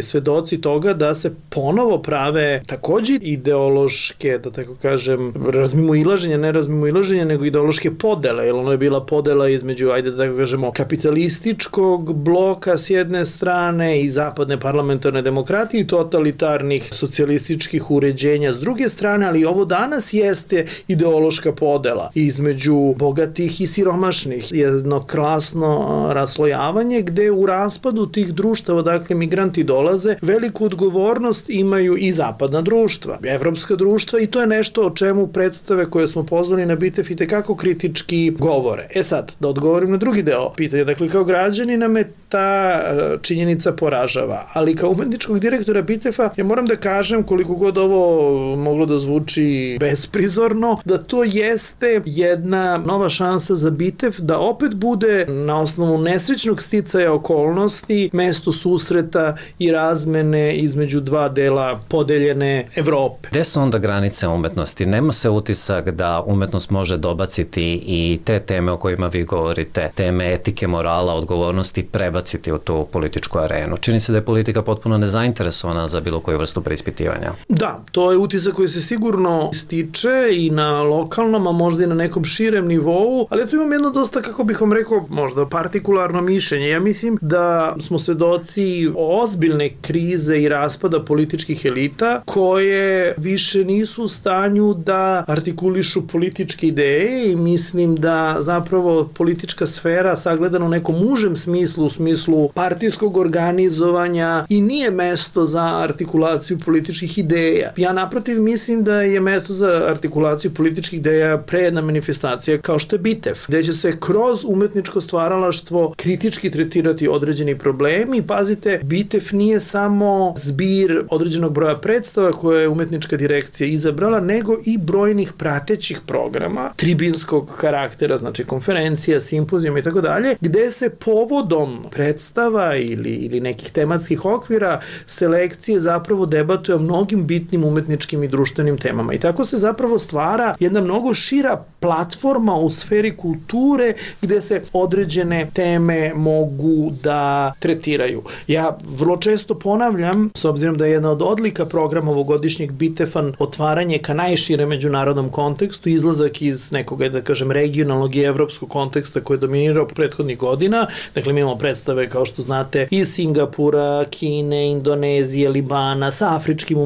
Speaker 13: svedoci toga da se ponovo prave takođe ideološke, da tako kažem, ne razmimoilaženja, nego ideološke podele, jer ono je bila podela između, ajde da tako kažemo, kapitalističkog bloka s jedne strane i zapadne parlamentarne demokratije i totalitarnih socijalističkih uređenja s druge strane, ali ovo danas jeste ideološka podela između bogatih i siromašnih. Jedno krasno raslojavanje gde u raspadu tih društava, dakle migranti dolaze, veliku odgovornost imaju i zapadna društva, evropska društva, i to je nešto o čemu predstave koje smo pozvali na Bitef i tekako kritički govore. Sad, da odgovorim na drugi deo pitanja, dakle kao građanina me ta činjenica poražava, ali kao umetničkog direktora Bitefa ja moram da kažem, koliko god ovo moglo da zvuči besprizorno, da to jeste jedna nova šansa za Bitef da opet bude na osnovu nesrećnog sticaja okolnosti mesto susreta i razmene između dva dela podeljene Evrope.
Speaker 14: Gde su onda granice umetnosti? Nema se utisak da umetnost može dobaciti i te teme o kojima vi govorite, teme etike, morala, odgovornosti, prebaciti u tu političku arenu. Čini se da je politika potpuno nezainteresovana za bilo koju vrstu preispitivanja.
Speaker 13: Da, to je utisak koji se sigurno stiče i na lokalnom, a možda i na nekom širem nivou, ali tu imam jedno dosta, kako bih vam rekao, možda partikularno mišljenje. Ja mislim da smo svedoci ozbiljne krize i raspada političkih elita koje više nisu u stanju da artikulišu političke ideje, i mislim da zapravo politička sfera sagledana u nekom užem smislu, u smislu smislu partijskog organizovanja i nije mesto za artikulaciju političkih ideja. Ja naprotiv mislim da je mesto za artikulaciju političkih ideja prejedna manifestacija kao što je BITEF, gde će se kroz umetničko stvaralaštvo kritički tretirati određeni problemi. Pazite, BITEF nije samo zbir određenog broja predstava koje je umetnička direkcija izabrala, nego i brojnih pratećih programa, tribinskog karaktera, znači konferencija, simpozijuma i tako dalje, gde se povodom predstava ili nekih tematskih okvira selekcije zapravo debatuje o mnogim bitnim umetničkim i društvenim temama. I tako se zapravo stvara jedna mnogo šira platforma u sferi kulture gde se određene teme mogu da tretiraju. Ja vrlo često ponavljam, s obzirom da je jedna od odlika programa ovogodišnjeg BITEF-a otvaranje ka najšire međunarodnom kontekstu, izlazak iz nekog, da kažem, regionalnog i evropskog konteksta koji je dominirao prethodnih godina. Dakle, mi imamo predstave, kao što znate, iz Singapura, Kine, Indonezije, Libana, sa afričkim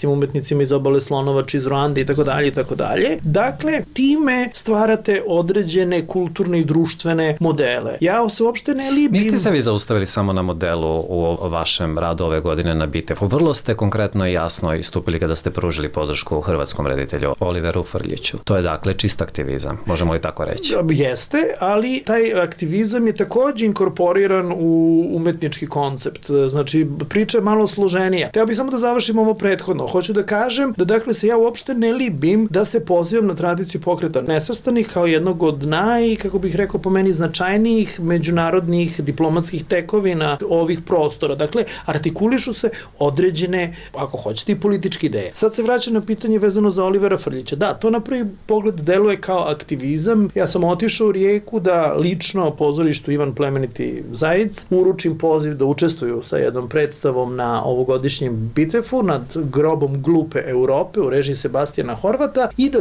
Speaker 13: umetnicima iz obale Slonovače, iz Ruande i tako dalje i tako dalje. Dakle, time stvarate određene kulturne i društvene modele. Ja se uopšte ne libim.
Speaker 14: Niste se vi zaustavili samo na modelu u vašem radu ove godine na BITEF-u. Vrlo ste konkretno i jasno istupili kada ste pružili podršku hrvatskom reditelju Oliveru Frljiću. To je dakle čist aktivizam, možemo li tako reći?
Speaker 13: Jeste, ali taj aktivizam je takođe inkorporiran u umetnički koncept. Znači, priča je malo složenija. Teo bih samo da završim ovo prethodno. Hoću da kažem da dakle se ja uopšte ne libim da se pozivam na tradiciju Pokreta nesvrstanih kao jednog od kako bih rekao, po meni značajnijih međunarodnih diplomatskih tekovina ovih prostora. Dakle, artikulišu se određene, ako hoćete, i političke ideje. Sad se vraćam na pitanje vezano za Olivera Frljića. Da, to na prvi pogled deluje kao aktivizam. Ja sam otišao u Rijeku da lično pozorištu Ivan Plemeniti Zajic uručim poziv da učestvuju sa jednom predstavom na ovogodišnjem BITEF-u nad grobom glupe Europe u režiji Sebastijana Horvata i da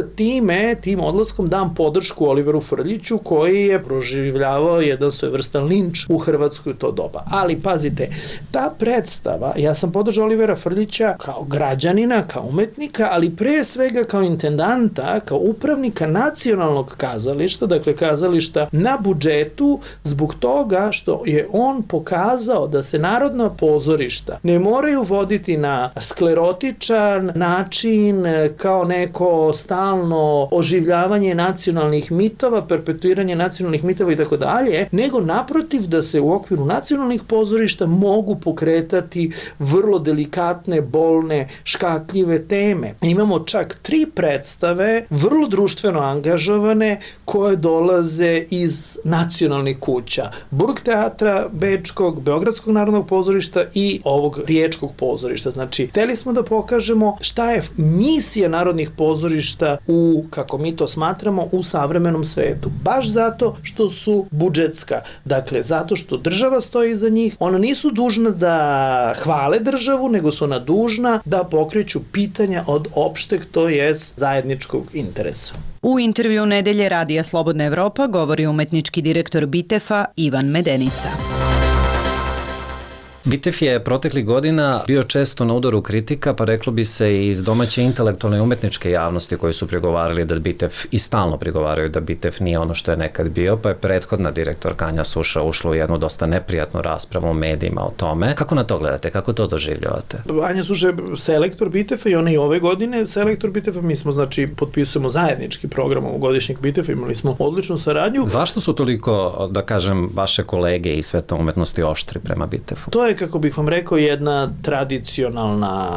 Speaker 13: tim odlaskom dam podršku Oliveru Frljiću koji je proživljavao jedan svojevrstan linč u Hrvatskoj u to doba. Ali pazite, ta predstava, ja sam podržao Olivera Frljića kao građanina, kao umetnika, ali pre svega kao intendanta, kao upravnika nacionalnog kazališta, dakle kazališta na budžetu, zbog toga što je on pokazao da se narodna pozorišta ne moraju voditi na sklerotičan način kao neko stalno oživljavanje nacionalnih mitova, perpetuiranje nacionalnih mitova i tako dalje, nego naprotiv da se u okviru nacionalnih pozorišta mogu pokretati vrlo delikatne, bolne, škakljive teme. Imamo čak 3 predstave, vrlo društveno angažovane, koje dolaze iz nacionalnih kuća. Burgteatra Bečkog, Beogradskog narodnog pozorišta i ovog Riječkog pozorišta. Znači, hteli smo da pokažemo šta je misija narodnih pozorišta u, kako mi to smatramo, u savremenom svetu. Baš zato što su budžetska. Dakle, zato što država stoji iza njih. Ona nisu dužna da hvale državu, nego su ona dužna da pokreću pitanja od opšteg, to jest zajedničkog interesa.
Speaker 6: U intervju Nedelje Radija Slobodna Evropa govori umetnički direktor BITEF-a Ivan Medenica.
Speaker 14: BITEF je proteklih godina bio često na udaru kritika, pa reklo bi se i iz domaće intelektualne i umetničke javnosti koji su prigovarali da BITEF i stalno prigovaraju da BITEF nije ono što je nekad bio, pa je prethodna direktorka Anja Suša ušla u jednu dosta neprijatnu raspravu u medijima o tome. Kako na to gledate? Kako to doživljavate?
Speaker 13: Anja Suša je selektor BITEF-a i ona i ove godine selektor BITEF-a. Mi smo, znači, potpisujemo zajednički program ovogodišnjeg BITEF-a, imali smo odličnu saradnju.
Speaker 14: Zašto su toliko, da kažem, vaše kolege i sveta umetnosti oštri prema BITEF-u?
Speaker 13: To je, kako bih vam rekao, jedna tradicionalna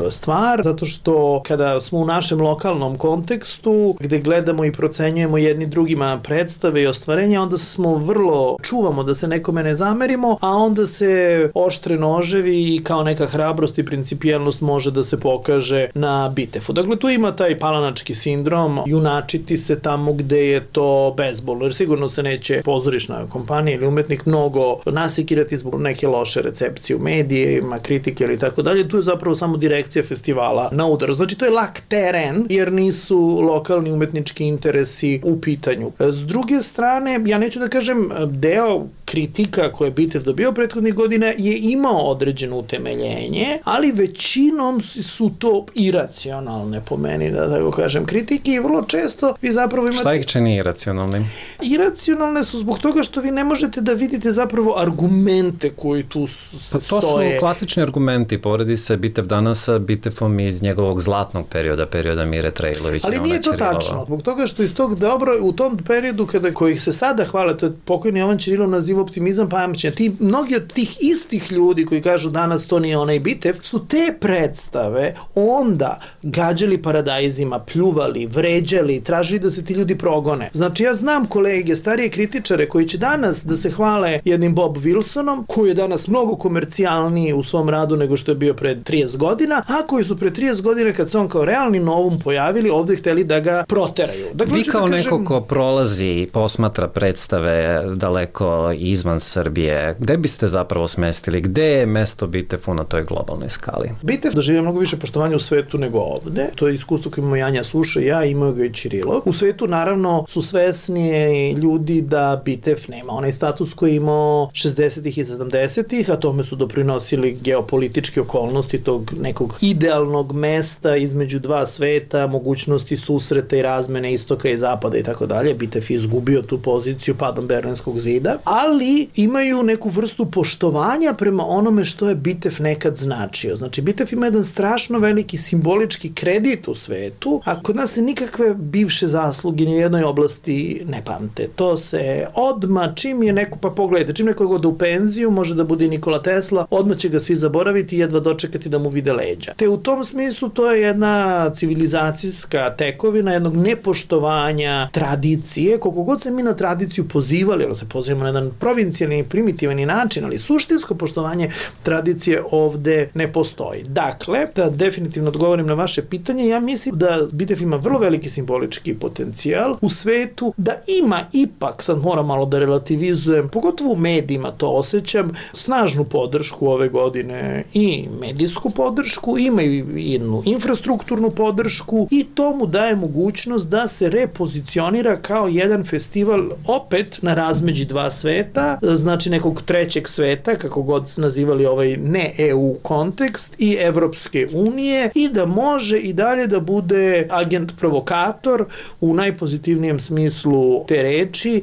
Speaker 13: stvar, zato što kada smo u našem lokalnom kontekstu, gde gledamo i procenjujemo jedni drugima predstave i ostvarenja, onda smo vrlo čuvamo da se nekome ne zamerimo, a onda se oštre noževi i kao neka hrabrost i principijelnost može da se pokaže na BITEF-u. Dakle, tu ima taj palanački sindrom, junačiti se tamo gde je to bezbolno, jer sigurno se neće pozorišna kompanija ili umetnik mnogo nasikirati zbog neke loše recepcije recepcije u medijima, kritike ili tako dalje, tu je zapravo samo direkcija festivala na udaru. Znači to je lak teren jer nisu lokalni umetnički interesi u pitanju. S druge strane, ja neću da kažem, deo kritika koje je Bitev dobio prethodnih godina je imao određeno utemeljenje, ali većinom su to iracionalne po meni, da tako kažem, kritike i vrlo često vi zapravo imate...
Speaker 14: Šta ih čini iracionalnim?
Speaker 13: Iracionalne su zbog toga što vi ne možete da vidite zapravo argumente koji tu stoje.
Speaker 14: To su klasični argumenti, poredi se Bitev danas sa Bitevom iz njegovog zlatnog perioda Mire Trejlović.
Speaker 13: Ali nije to tačno, zbog toga što iz tog dobro, u tom periodu kojih se sada hvale, to je pokojni Jovan Ćirilov naziva optimizam pamćenja. Mnogi od tih istih ljudi koji kažu danas to nije onaj Bitev, su te predstave onda gađali paradajzima, pljuvali, vređali, tražili da se ti ljudi progone. Znači ja znam kolege, starije kritičare koji će danas da se hvale jednim Bob Wilsonom, koji je danas mnogo komercijalniji u svom radu nego što je bio pred 30 godina, a koji su pred 30 godina kad se on kao realni novum pojavili, ovde hteli da ga proteraju. Dakle,
Speaker 14: vi kao neko ko prolazi i posmatra predstave daleko izvan Srbije, gde biste zapravo smestili? Gde je mesto Bitefu na toj globalnoj skali?
Speaker 13: Bitev doživio mnogo više poštovanja u svetu nego ovde. To je iskustvo koje imamo Janja Suša i ja, imao ga i Ćirilov. U svetu naravno su svesnije ljudi da Bitev nema onaj status koji je imao 60-ih i 70-ih, a tome su doprinosili geopolitičke okolnosti tog nekog idealnog mesta između dva sveta, mogućnosti susreta i razmene istoka i zapada i tako dalje. Bitev je izgubio tu poziciju padom Berlinskog zida, ali imaju neku vrstu poštovanja prema onome što je Bitev nekad značio. Znači, Bitev ima jedan strašno veliki simbolički kredit u svetu, a kod nas se nikakve bivše zasluge ni u jednoj oblasti ne pamte. To se odmah, čim je neko, pa pogledajte, čim neko ode u penziju, može da bude Nikola Tesla, odmah će ga svi zaboraviti i jedva dočekati da mu vide leđa. Te u tom smislu to je jedna civilizacijska tekovina, jednog nepoštovanja tradicije, koliko god se mi na tradiciju pozivali, ali se pozivamo na jedan provincijalni, primitivani način, ali suštinsko poštovanje tradicije ovde ne postoji. Dakle, da definitivno odgovorim na vaše pitanje, ja mislim da Bitev ima vrlo veliki simbolički potencijal u svetu, da ima ipak, sad moram malo da relativizujem, pogotovo u medijima to osjećam, snažnu podršku ove godine i medijsku podršku, ima i jednu infrastrukturnu podršku i to mu daje mogućnost da se repozicionira kao jedan festival opet na razmeđi dva sveta, znači nekog trećeg sveta, kako god nazivali ovaj ne EU kontekst i Evropske unije i da može i dalje da bude agent provokator u najpozitivnijem smislu te reči.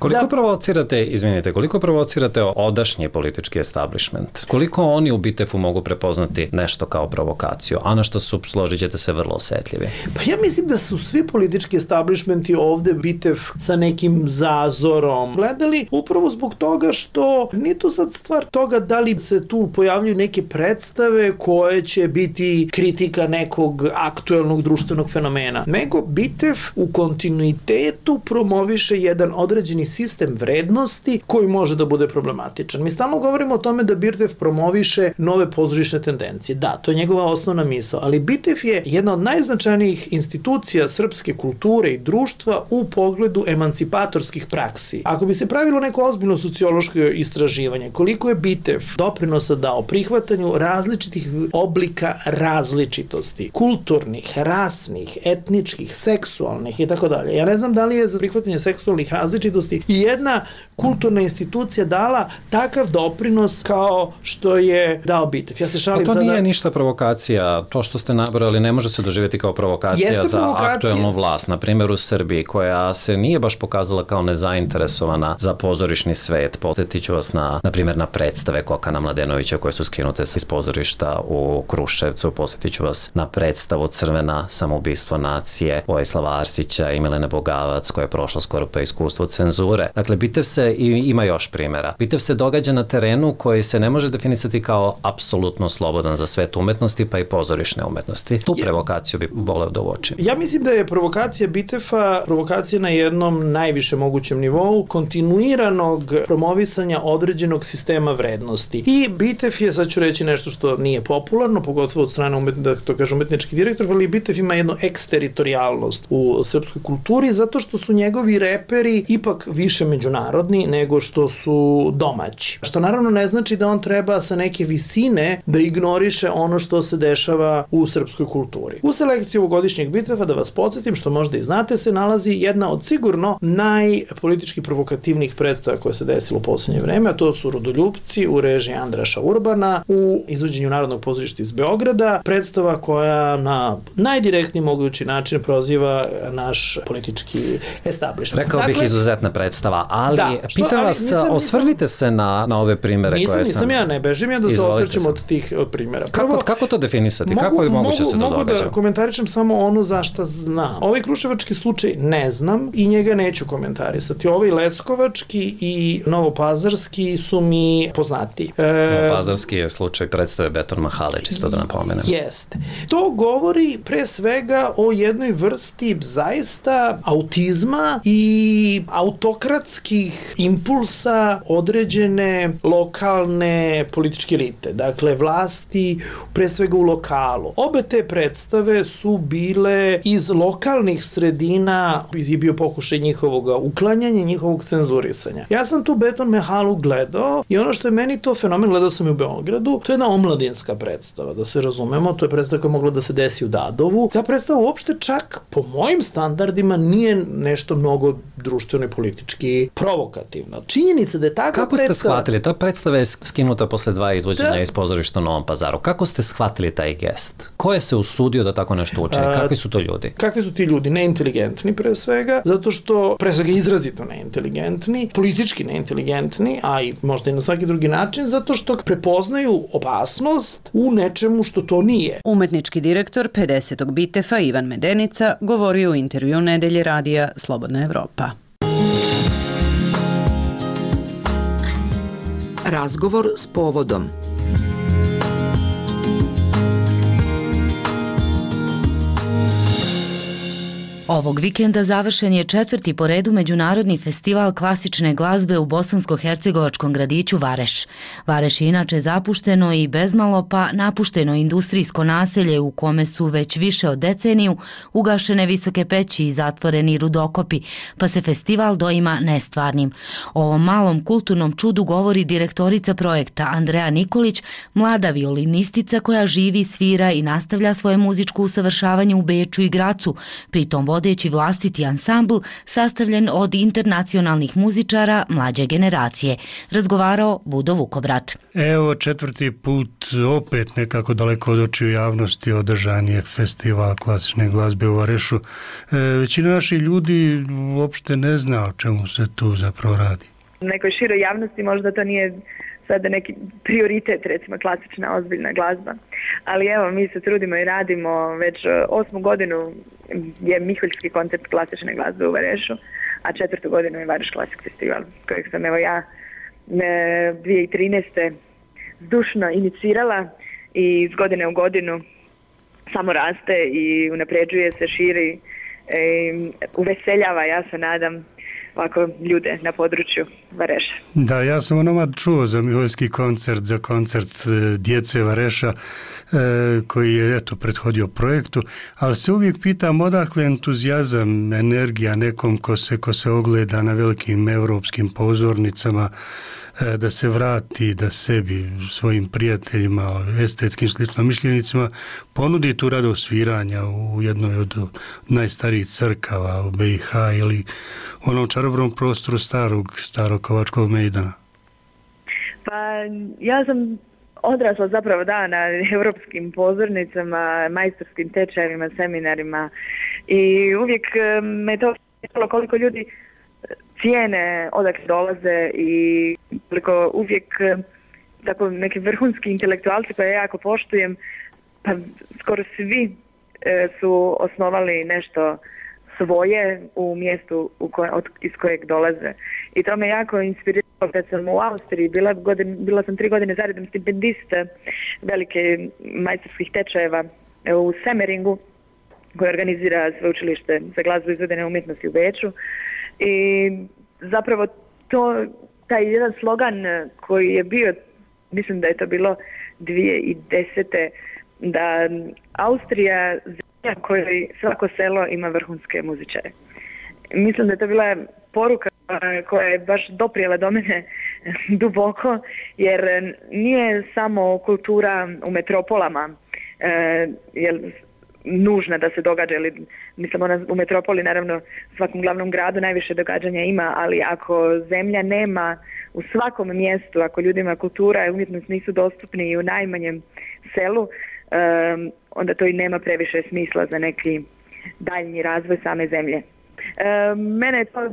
Speaker 14: Koliko provocirate odašnji politički establishment? Koliko oni u Bitefu mogu prepoznati nešto kao provokaciju, a na što su, složit ćete se, vrlo osetljivi?
Speaker 13: Pa ja mislim da su svi politički establishmenti ovde Bitev sa nekim zazorom gledali, upravo zbog toga što nije to sad stvar toga da li se tu pojavljuju neke predstave koje će biti kritika nekog aktuelnog društvenog fenomena, nego Bitev u kontinuitetu promoviše jedan određeni sistem vrednosti koji može da bude problematičan. Mi stalno govorimo o tome da Bitev promoviše nove pozorišne tendencije. Da, to je njegova osnovna misao, ali Bitev je jedna od najznačajnijih institucija srpske kulture i društva u pogledu emancipatorskih praksi. Ako bi se pravilo neko ozbiljno sociološko istraživanje, koliko je Bitev doprinosa dao prihvatanju različitih oblika različitosti, kulturnih, rasnih, etničkih, seksualnih i tako dalje. Ja ne znam da li je za prihvatanje seksualnih različitosti i jedna kulturna institucija dala takav doprinos kao što je dao Bitev. Ja se šalim
Speaker 14: sada.
Speaker 13: To
Speaker 14: nije ništa provokacija. To što ste nabrali ne može se doživjeti kao provokacija za aktuelnu vlast. Na primjer u Srbiji, koja se nije baš pokazala kao nezainteresovana za pozorišni svet. Podsjetit ću vas na primjer na predstave Kokana Mladenovića koje su skinute iz pozorišta u Kruševcu. Podsjetit ću vas na predstavu Crvena, samoubistvo nacije Vojislava Arsića i Milene Bogavac koja je prošla skoro pa iskustvo cenzure. Dakle, Bitev se, i ima još primjera, Bitev se događa na terenu koji se ne može definisati kao apsolutno slobodan za svet umetnosti pa i pozorišne umetnosti. Tu provokaciju bi voleo da uočim.
Speaker 13: Ja mislim da je provokacija Bitefa provokacija na jednom najviše mogućem nivou kontinuiranog promovisanja određenog sistema vrednosti. I Bitev je, sad ću reći nešto što nije popularno, pogotovo od strane umetnički direktor, ali Bitev ima jednu eksteritorijalnost u srpskoj kulturi zato što su njegovi reperi ipak više međunarodni nego što su domaći. Što naravno ne znači da on treba treba sa neke visine da ignoriše ono što se dešava u srpskoj kulturi. U selekciji ovogodišnjeg Bitefa, da vas podsjetim, što možda i znate, se nalazi jedna od sigurno najpolitički provokativnijih predstava koje se desilo u poslednje vreme, a to su Rodoljupci u režiji Andraša Urbana u izvođenju Narodnog pozorišta iz Beograda, predstava koja na najdirektniji mogući način proziva naš politički establishment.
Speaker 14: Rekao bih izuzetna predstava, ali pitam vas, osvrnite se na ove primere koje sam...
Speaker 13: Nisam ja, ne bežim ja da se osvrćem od primjera.
Speaker 14: Kako to definisati? Kako je moguće se to događa?
Speaker 13: Mogu da komentarišem samo ono za šta znam. Ovaj kruševački slučaj ne znam i njega neću komentarisati. Ovaj leskovački i novopazarski su mi poznati.
Speaker 14: Novopazarski je slučaj predstave Beton Mahale, čisto da napomenem.
Speaker 13: Jeste. To govori pre svega o jednoj vrsti zaista autizma i autokratskih impulsa određene lokalne političke elite. Dakle, vlasti pre svega u lokalu. Obe te predstave su bile iz lokalnih sredina, je bio pokušaj njihovog uklanjanja, njihovog cenzurisanja. Ja sam tu Beton Mahalu gledao i ono što je meni to fenomen, gledao sam i u Beogradu, to je jedna omladinska predstava, da se razumemo, to je predstava koja je mogla da se desi u Dadovu. Ta predstava uopšte čak po mojim standardima nije nešto mnogo društveno i politički provokativna. Činjenica da je takva
Speaker 14: predstava...
Speaker 13: Kako
Speaker 14: ste shvatili? Ta predstava je skinuta posle 2 izvođenja iz pozorišta u Novom Pazaru. Kako ste shvatili taj gest? Ko je se usudio da tako nešto učini? Kakvi su to ljudi?
Speaker 13: Kakvi su ti ljudi? Neinteligentni pre svega, zato što pre svega izrazito neinteligentni, politički neinteligentni, a i možda i na svaki drugi način, zato što prepoznaju opasnost u nečemu što to nije.
Speaker 6: Umetnički direktor 50. Bitefa Ivan Medenica govorio u intervju Nedelje radija Slobodna Evropa.
Speaker 11: Razgovor s povodom.
Speaker 4: Ovog vikenda završen je 4. po redu Međunarodni festival klasične glazbe u bosansko-hercegovačkom gradiću Vareš. Vareš je inače zapušteno i bezmalo pa napušteno industrijsko naselje u kome su već više od deceniju ugašene visoke peći i zatvoreni rudokopi, pa se festival doima nestvarnim. O ovom malom kulturnom čudu govori direktorica projekta Andreja Nikolić, mlada violinistica koja živi, svira i nastavlja svoje muzičko usavršavanje u Beču i Gracu, pritom vodeći vlastiti ansambl sastavljen od internacionalnih muzičara mlađe generacije. Razgovarao Budo Vukobrat.
Speaker 15: Evo 4. put opet nekako daleko od očiju javnosti održan je festival klasične glazbe u Varešu. Većina naših ljudi uopšte ne zna o čemu se tu zapravo radi.
Speaker 16: Nekoj široj javnosti možda to nije sada neki prioritet, recimo klasična ozbiljna glazba. Ali evo, mi se trudimo i radimo, već 8. godinu je Miholjski koncert klasične glazbe u Varešu, a 4. godinu je Vareš Classic Festival, kojeg sam evo ja 2013. zdušno inicirala i iz godine u godinu samo raste i unapređuje se, širi, uveseljava, ja se nadam, ovako ljude na području Vareša.
Speaker 15: Da, ja sam onomad čuo za Miholjski koncert, za koncert djece Vareša koji je prethodio projektu, ali se uvijek pitam odakle entuzijazam, energija nekom ko se ogleda na velikim evropskim pozornicama da se vrati, da sebi, svojim prijateljima, estetskim sličnomišljenicima ponudi tu radost sviranja u jednoj od najstarijih crkava u BiH ili onom čarobnom prostoru starog Kovačkog mejdana.
Speaker 16: Pa ja sam odrasla zapravo na europskim pozornicama, majstorskim tečajevima, seminarima i uvijek me to pitalo koliko ljudi cijene odakle dolaze i koliko uvijek tako neki vrhunski intelektualci koje ja jako poštujem, pa skoro svi su osnovali nešto svoje u mjestu iz kojeg dolaze. I to me jako inspiriralo kad sam u Austriji, bila sam 3 godine zaredom stipendista velike majstorskih tečajeva u Semeringu, koje organizira sveučilište za glazbu i izvedene umjetnosti u Beču. I zapravo taj jedan slogan koji je bio, mislim da je to bilo 2010. da Austrija zemlja kojoj svako selo ima vrhunske muzičare. Mislim da je to bila poruka koja je baš doprijela do mene duboko, jer nije samo kultura u metropolama nužna da se događa, ili mislim u metropoli naravno u svakom glavnom gradu najviše događanja ima, ali ako zemlja nema u svakom mjestu, ako ljudima kultura i umjetnost nisu dostupni i u najmanjem selu, onda to i nema previše smisla za neki daljnji razvoj same zemlje. Mene je to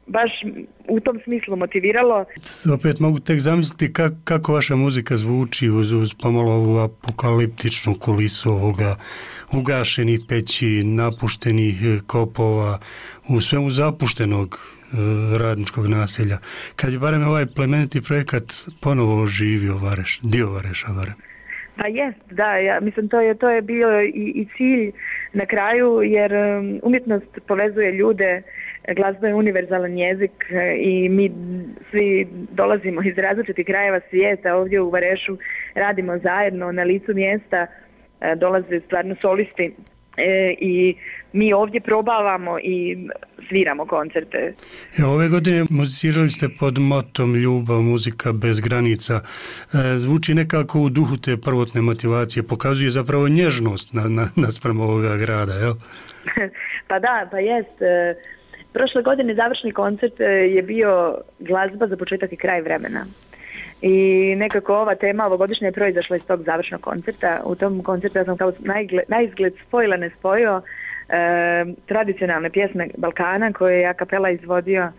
Speaker 16: baš u tom smislu motiviralo.
Speaker 15: Opet mogu tek zamisliti kako vaša muzika zvuči uz pomalo ovu apokaliptičnu kulisu ovoga ugašenih peći, napuštenih kopova, u svemu zapuštenog radničkog naselja. Kad je barem ovaj plemeniti projekat ponovo oživio Vareš, dio Vareša barem.
Speaker 16: Pa jest, da, ja mislim to je bio i cilj na kraju, jer umjetnost povezuje ljude, glazba je univerzalan jezik i mi svi dolazimo iz različitih krajeva svijeta, ovdje u Varešu radimo zajedno na licu mjesta, dolaze stvarno solisti i mi ovdje probavamo i sviramo koncerte.
Speaker 15: Ove godine muzicirali ste pod motom Ljubav, muzika bez granica. Zvuči nekako u duhu te prvotne motivacije, pokazuje zapravo nježnost naspram ovoga grada, jel?
Speaker 16: Pa da, pa jest. Prošle godine završni koncert je bio glazba za početak i kraj vremena. I nekako ova tema ovogodišnja je proizašla iz tog završnog koncerta. U tom koncertu ja sam kao naizgled spojila nespojio tradicionalne pjesme Balkana koje je a kapela izvodio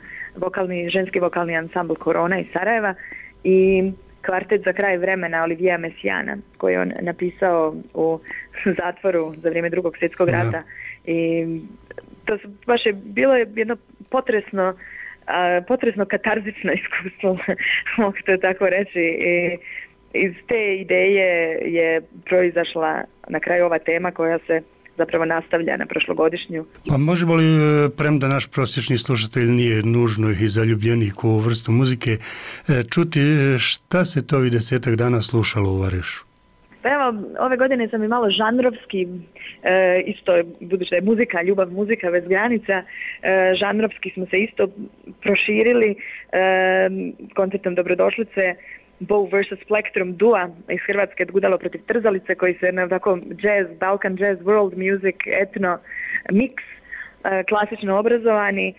Speaker 16: ženski vokalni ansambl Korona iz Sarajeva i kvartet za kraj vremena Olivija Mesijana koji je on napisao u zatvoru za vrijeme Drugog svjetskog rata. I to baš je bilo jedno potresno katarzično iskustvo, mogu to tako reći. I iz te ideje je proizašla na kraju ova tema koja se zapravo nastavlja na prošlogodišnju.
Speaker 15: Pa možemo li, premda naš prosječni slušatelj nije nužno i zaljubljenik u ovu vrstu muzike, čuti šta se to ovih 10 dana slušalo u Varešu?
Speaker 16: Pa evo, ove godine sam i malo žanrovski, isto budući da je muzika, ljubav, muzika bez granica, žanrovski smo se isto proširili koncertom Dobrodošlice Bow vs. Plektrum Dua iz Hrvatske Gudalo protiv Trzalice koji se na tako jazz, Balkan jazz, world music, etno mix, klasično obrazovani,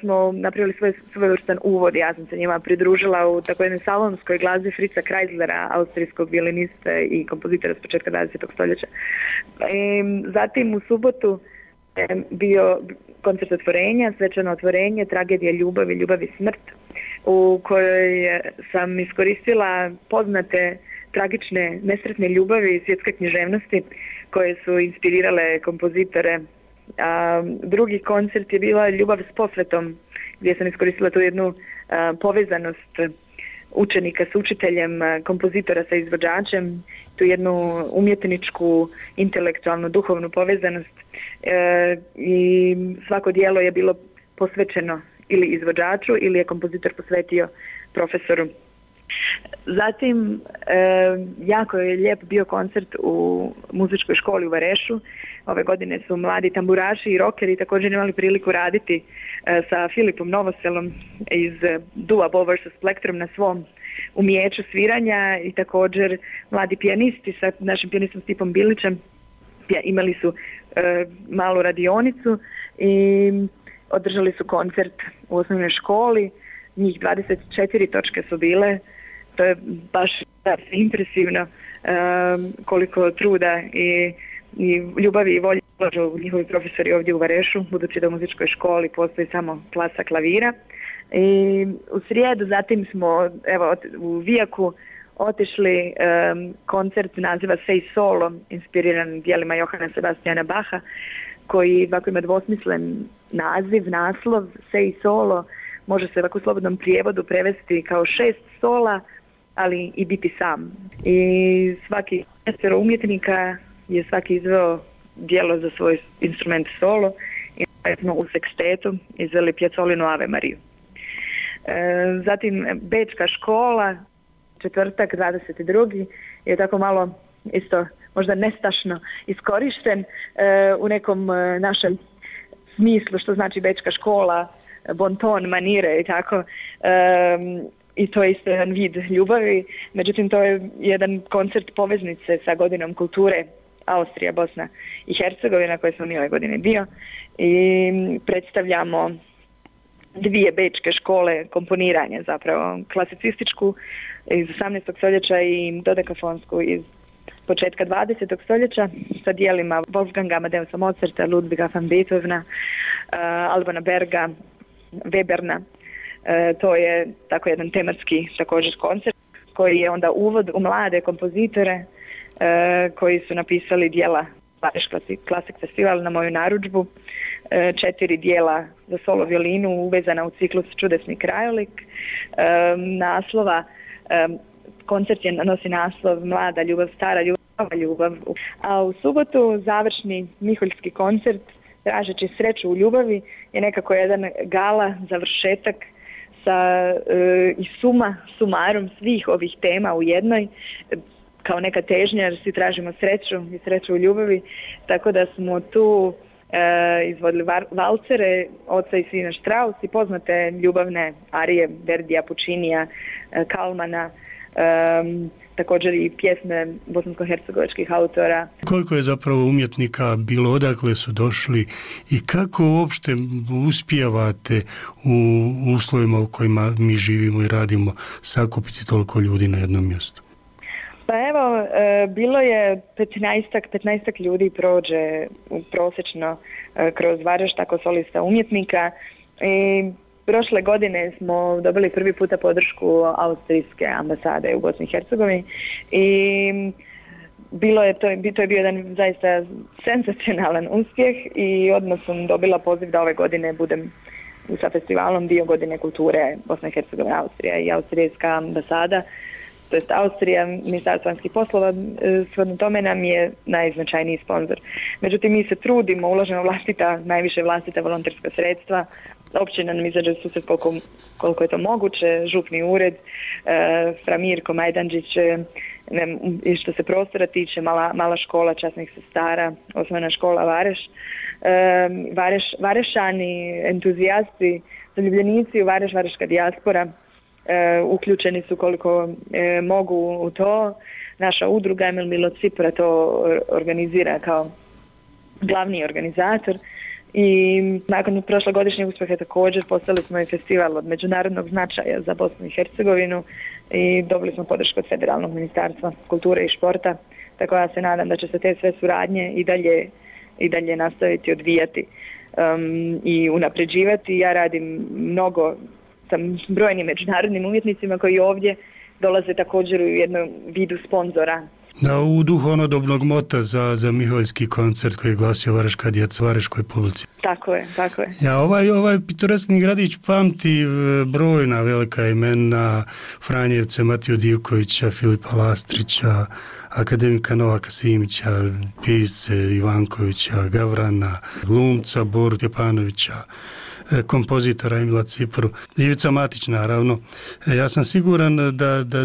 Speaker 16: smo napravili svojevrstan uvod. Ja sam se njima pridružila u tako jednoj salonskoj glazbi Fritza Kreislera, austrijskog violiniste i kompozitora s početka 20. stoljeća. Zatim u subotu je bio koncert otvorenja, svečano otvorenje, tragedija ljubavi, ljubav i smrt, u kojoj sam iskoristila poznate tragične nesretne ljubavi i svjetske književnosti koje su inspirirale kompozitore. Drugi koncert je bila Ljubav s posvetom, gdje sam iskoristila tu jednu povezanost učenika s učiteljem, kompozitora sa izvođačem, tu jednu umjetničku, intelektualnu, duhovnu povezanost i svako djelo je bilo posvećeno ili izvođaču ili je kompozitor posvetio profesoru. Zatim, jako je lijep bio koncert u muzičkoj školi u Varešu. Ove godine su mladi tamburaši i rokeri također imali priliku raditi sa Filipom Novoselom iz Dua Bow vs. Plektrum na svom umijeću sviranja i također mladi pijanisti sa našim pijanistom Stipom Bilićem imali su malu radionicu i održali su koncert u osnovnoj školi. Njih 24 točke su bile. To je baš impresivno koliko truda i ljubavi i volje ulažu njihovi profesori ovdje u Varešu, budući da u muzičkoj školi postoji samo klasa klavira. I u srijedu zatim smo u Vijaku otišli koncert naziva Sei Solo, inspiriran djelima Johana Sebastiana Bacha, koji ovako ima dvosmislen naslov Sei Solo, može se ovako u slobodnom prijevodu prevesti kao 6 sola, ali i biti sam. I svaki umjetnika je svaki izveo djelo za svoj instrument solo i smo u sekstetu izveli Piazzolinu Ave Mariju. Zatim Bečka škola, četvrtak 22. je tako malo isto možda nestašno iskorišten u nekom našem smislu što znači Bečka škola, bonton, manire i tako. i to je isto jedan vid ljubavi. Međutim, to je jedan koncert poveznice sa godinom kulture Austrija, Bosna i Hercegovina, koje smo mi ove godine dio, i predstavljamo 2 bečke škole komponiranja, zapravo klasicističku iz 18. stoljeća i dodekafonsku iz početka 20. stoljeća sa dijelima Wolfganga Amadeusa Mozarta, Ludwiga van Beethovena, Albana Berga, Weberna. To je tako jedan tematski također koncert koji je onda uvod u mlade kompozitore koji su napisali dijela Vareš Classic Festival na moju narudžbu, 4 dijela za solo violinu uvezana u ciklus Čudesni krajolik. Naslova, koncert nosi naslov Mlada ljubav, stara ljubav, nova ljubav. A u subotu završni miholjski koncert Tražeći sreću u ljubavi je nekako jedan gala, završetak sa i sumarom svih ovih tema u jednoj, kao neka težnja jer svi tražimo sreću i sreću u ljubavi, tako da smo tu izvodili valcere Oca i sina Strauss i poznate ljubavne arije Verdija, Pučinija, Kalmana, također i pjesme bosansko-hercegovačkih autora.
Speaker 15: Koliko je zapravo umjetnika bilo, odakle su došli i kako uopšte uspijevate u uslovima u kojima mi živimo i radimo sakupiti toliko ljudi na jednom mjestu?
Speaker 16: Pa evo, bilo je 15 ljudi prođe prosječno kroz Vareš, tako solista umjetnika, i prošle godine smo dobili prvi puta podršku austrijske ambasade u Bosni i Hercegovini i to je bio jedan zaista senzacionalan uspjeh i odmah sam dobila poziv da ove godine budem sa festivalom dio godine kulture Bosna i Hercegovina, Austrija i austrijska ambasada. To jest Austrija, Ministarstvo vanjskih poslova, shodno tome nam je najznačajniji sponsor. Međutim, mi se trudimo, ulažemo najviše vlastita volonterska sredstva, općina nam izađe susret koliko je to moguće, župni ured, fra Mirko Majdanđić, i što se prostora tiče, mala škola časnih sestara, osnovna škola Vareš, Varešani, entuzijasti, zaljubljenici u Vareš, vareška dijaspora, uključeni su koliko mogu u to. Naša udruga Emil Milo Cipra to organizira kao glavni organizator i nakon prošlogodišnjeg uspjeha također postali smo i festival od međunarodnog značaja za Bosnu i Hercegovinu i dobili smo podršku od Federalnog ministarstva kulture i športa, tako ja se nadam da će se te sve suradnje i dalje nastaviti odvijati i unapređivati. Ja radim mnogo sa brojnim međunarodnim umjetnicima koji ovdje dolaze također u jednom vidu sponzora.
Speaker 15: Da, u duhu onodobnog mota za miholjski koncert koji je glasio Vareška djeca Vareškoj publici.
Speaker 16: Tako je.
Speaker 15: Ja, ovaj pitoreskni gradić pamti brojna velika imena, Franjevce, Matiju Divkovića, Filipa Lastrića, akademika Novaka Simića, pisce Ivankovića, Gavrana, glumca Boru Tjepanovića, kompozitora Emila Cipru, Ivica Matić naravno. Ja sam siguran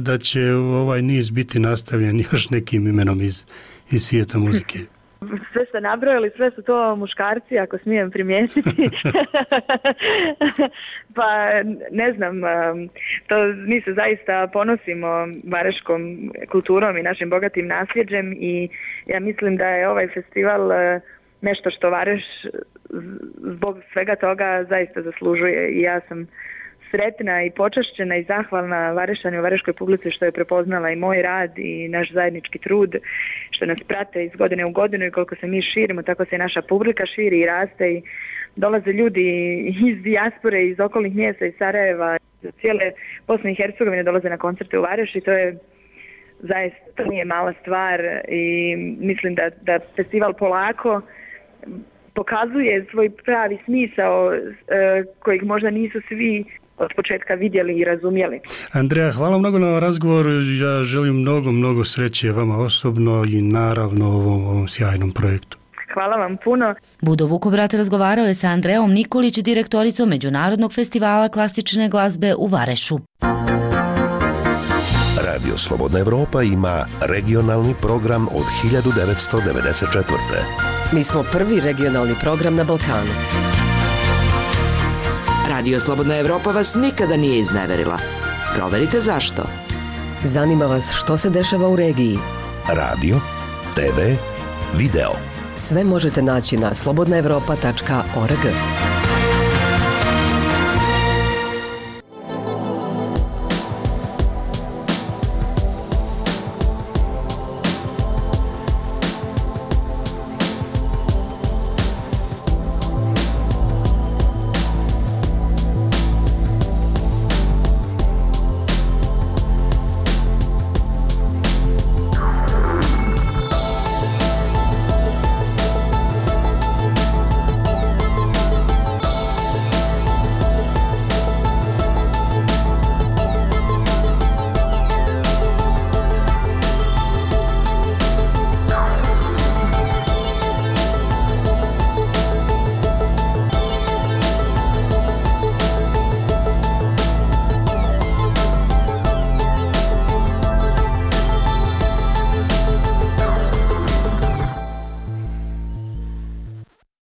Speaker 15: da će ovaj niz biti nastavljen još nekim imenom iz svijeta muzike.
Speaker 16: Sve ste nabrojali, sve su to muškarci, ako smijem primijetiti. Pa ne znam, mi se zaista ponosimo vareškom kulturom i našim bogatim nasljeđem i ja mislim da je ovaj festival nešto što Vareš zbog svega toga zaista zaslužuje i ja sam sretna i počašćena i zahvalna Varešanju u Vareškoj publici što je prepoznala i moj rad i naš zajednički trud, što nas prate iz godine u godinu i koliko se mi širimo, tako se i naša publika širi i raste i dolaze ljudi iz dijaspore, iz okolnih mjesta, iz Sarajeva, iz cijele Bosne i Hercegovine dolaze na koncerte u Vareš i to je zaista, to nije mala stvar i mislim da festival polako pokazuje svoj pravi smisao kojeg možda nisu svi od početka vidjeli i razumjeli.
Speaker 15: Andreja, hvala mnogo na razgovor. Ja želim mnogo sreće vama osobno i naravno ovom sjajnom projektu.
Speaker 16: Hvala vam puno.
Speaker 4: Budo Vukobrat razgovarao je sa Andreom Nikolić, direktoricom Međunarodnog festivala klasične glazbe u Varešu.
Speaker 12: Radio Slobodna Evropa ima regionalni program od 1994.
Speaker 11: Mi smo prvi regionalni program na Balkanu. Radio Slobodna Evropa vas nikada nije izneverila. Proverite zašto.
Speaker 17: Zanima vas što se dešava u regiji?
Speaker 12: Radio, TV, video.
Speaker 17: Sve možete naći na slobodnaevropa.org.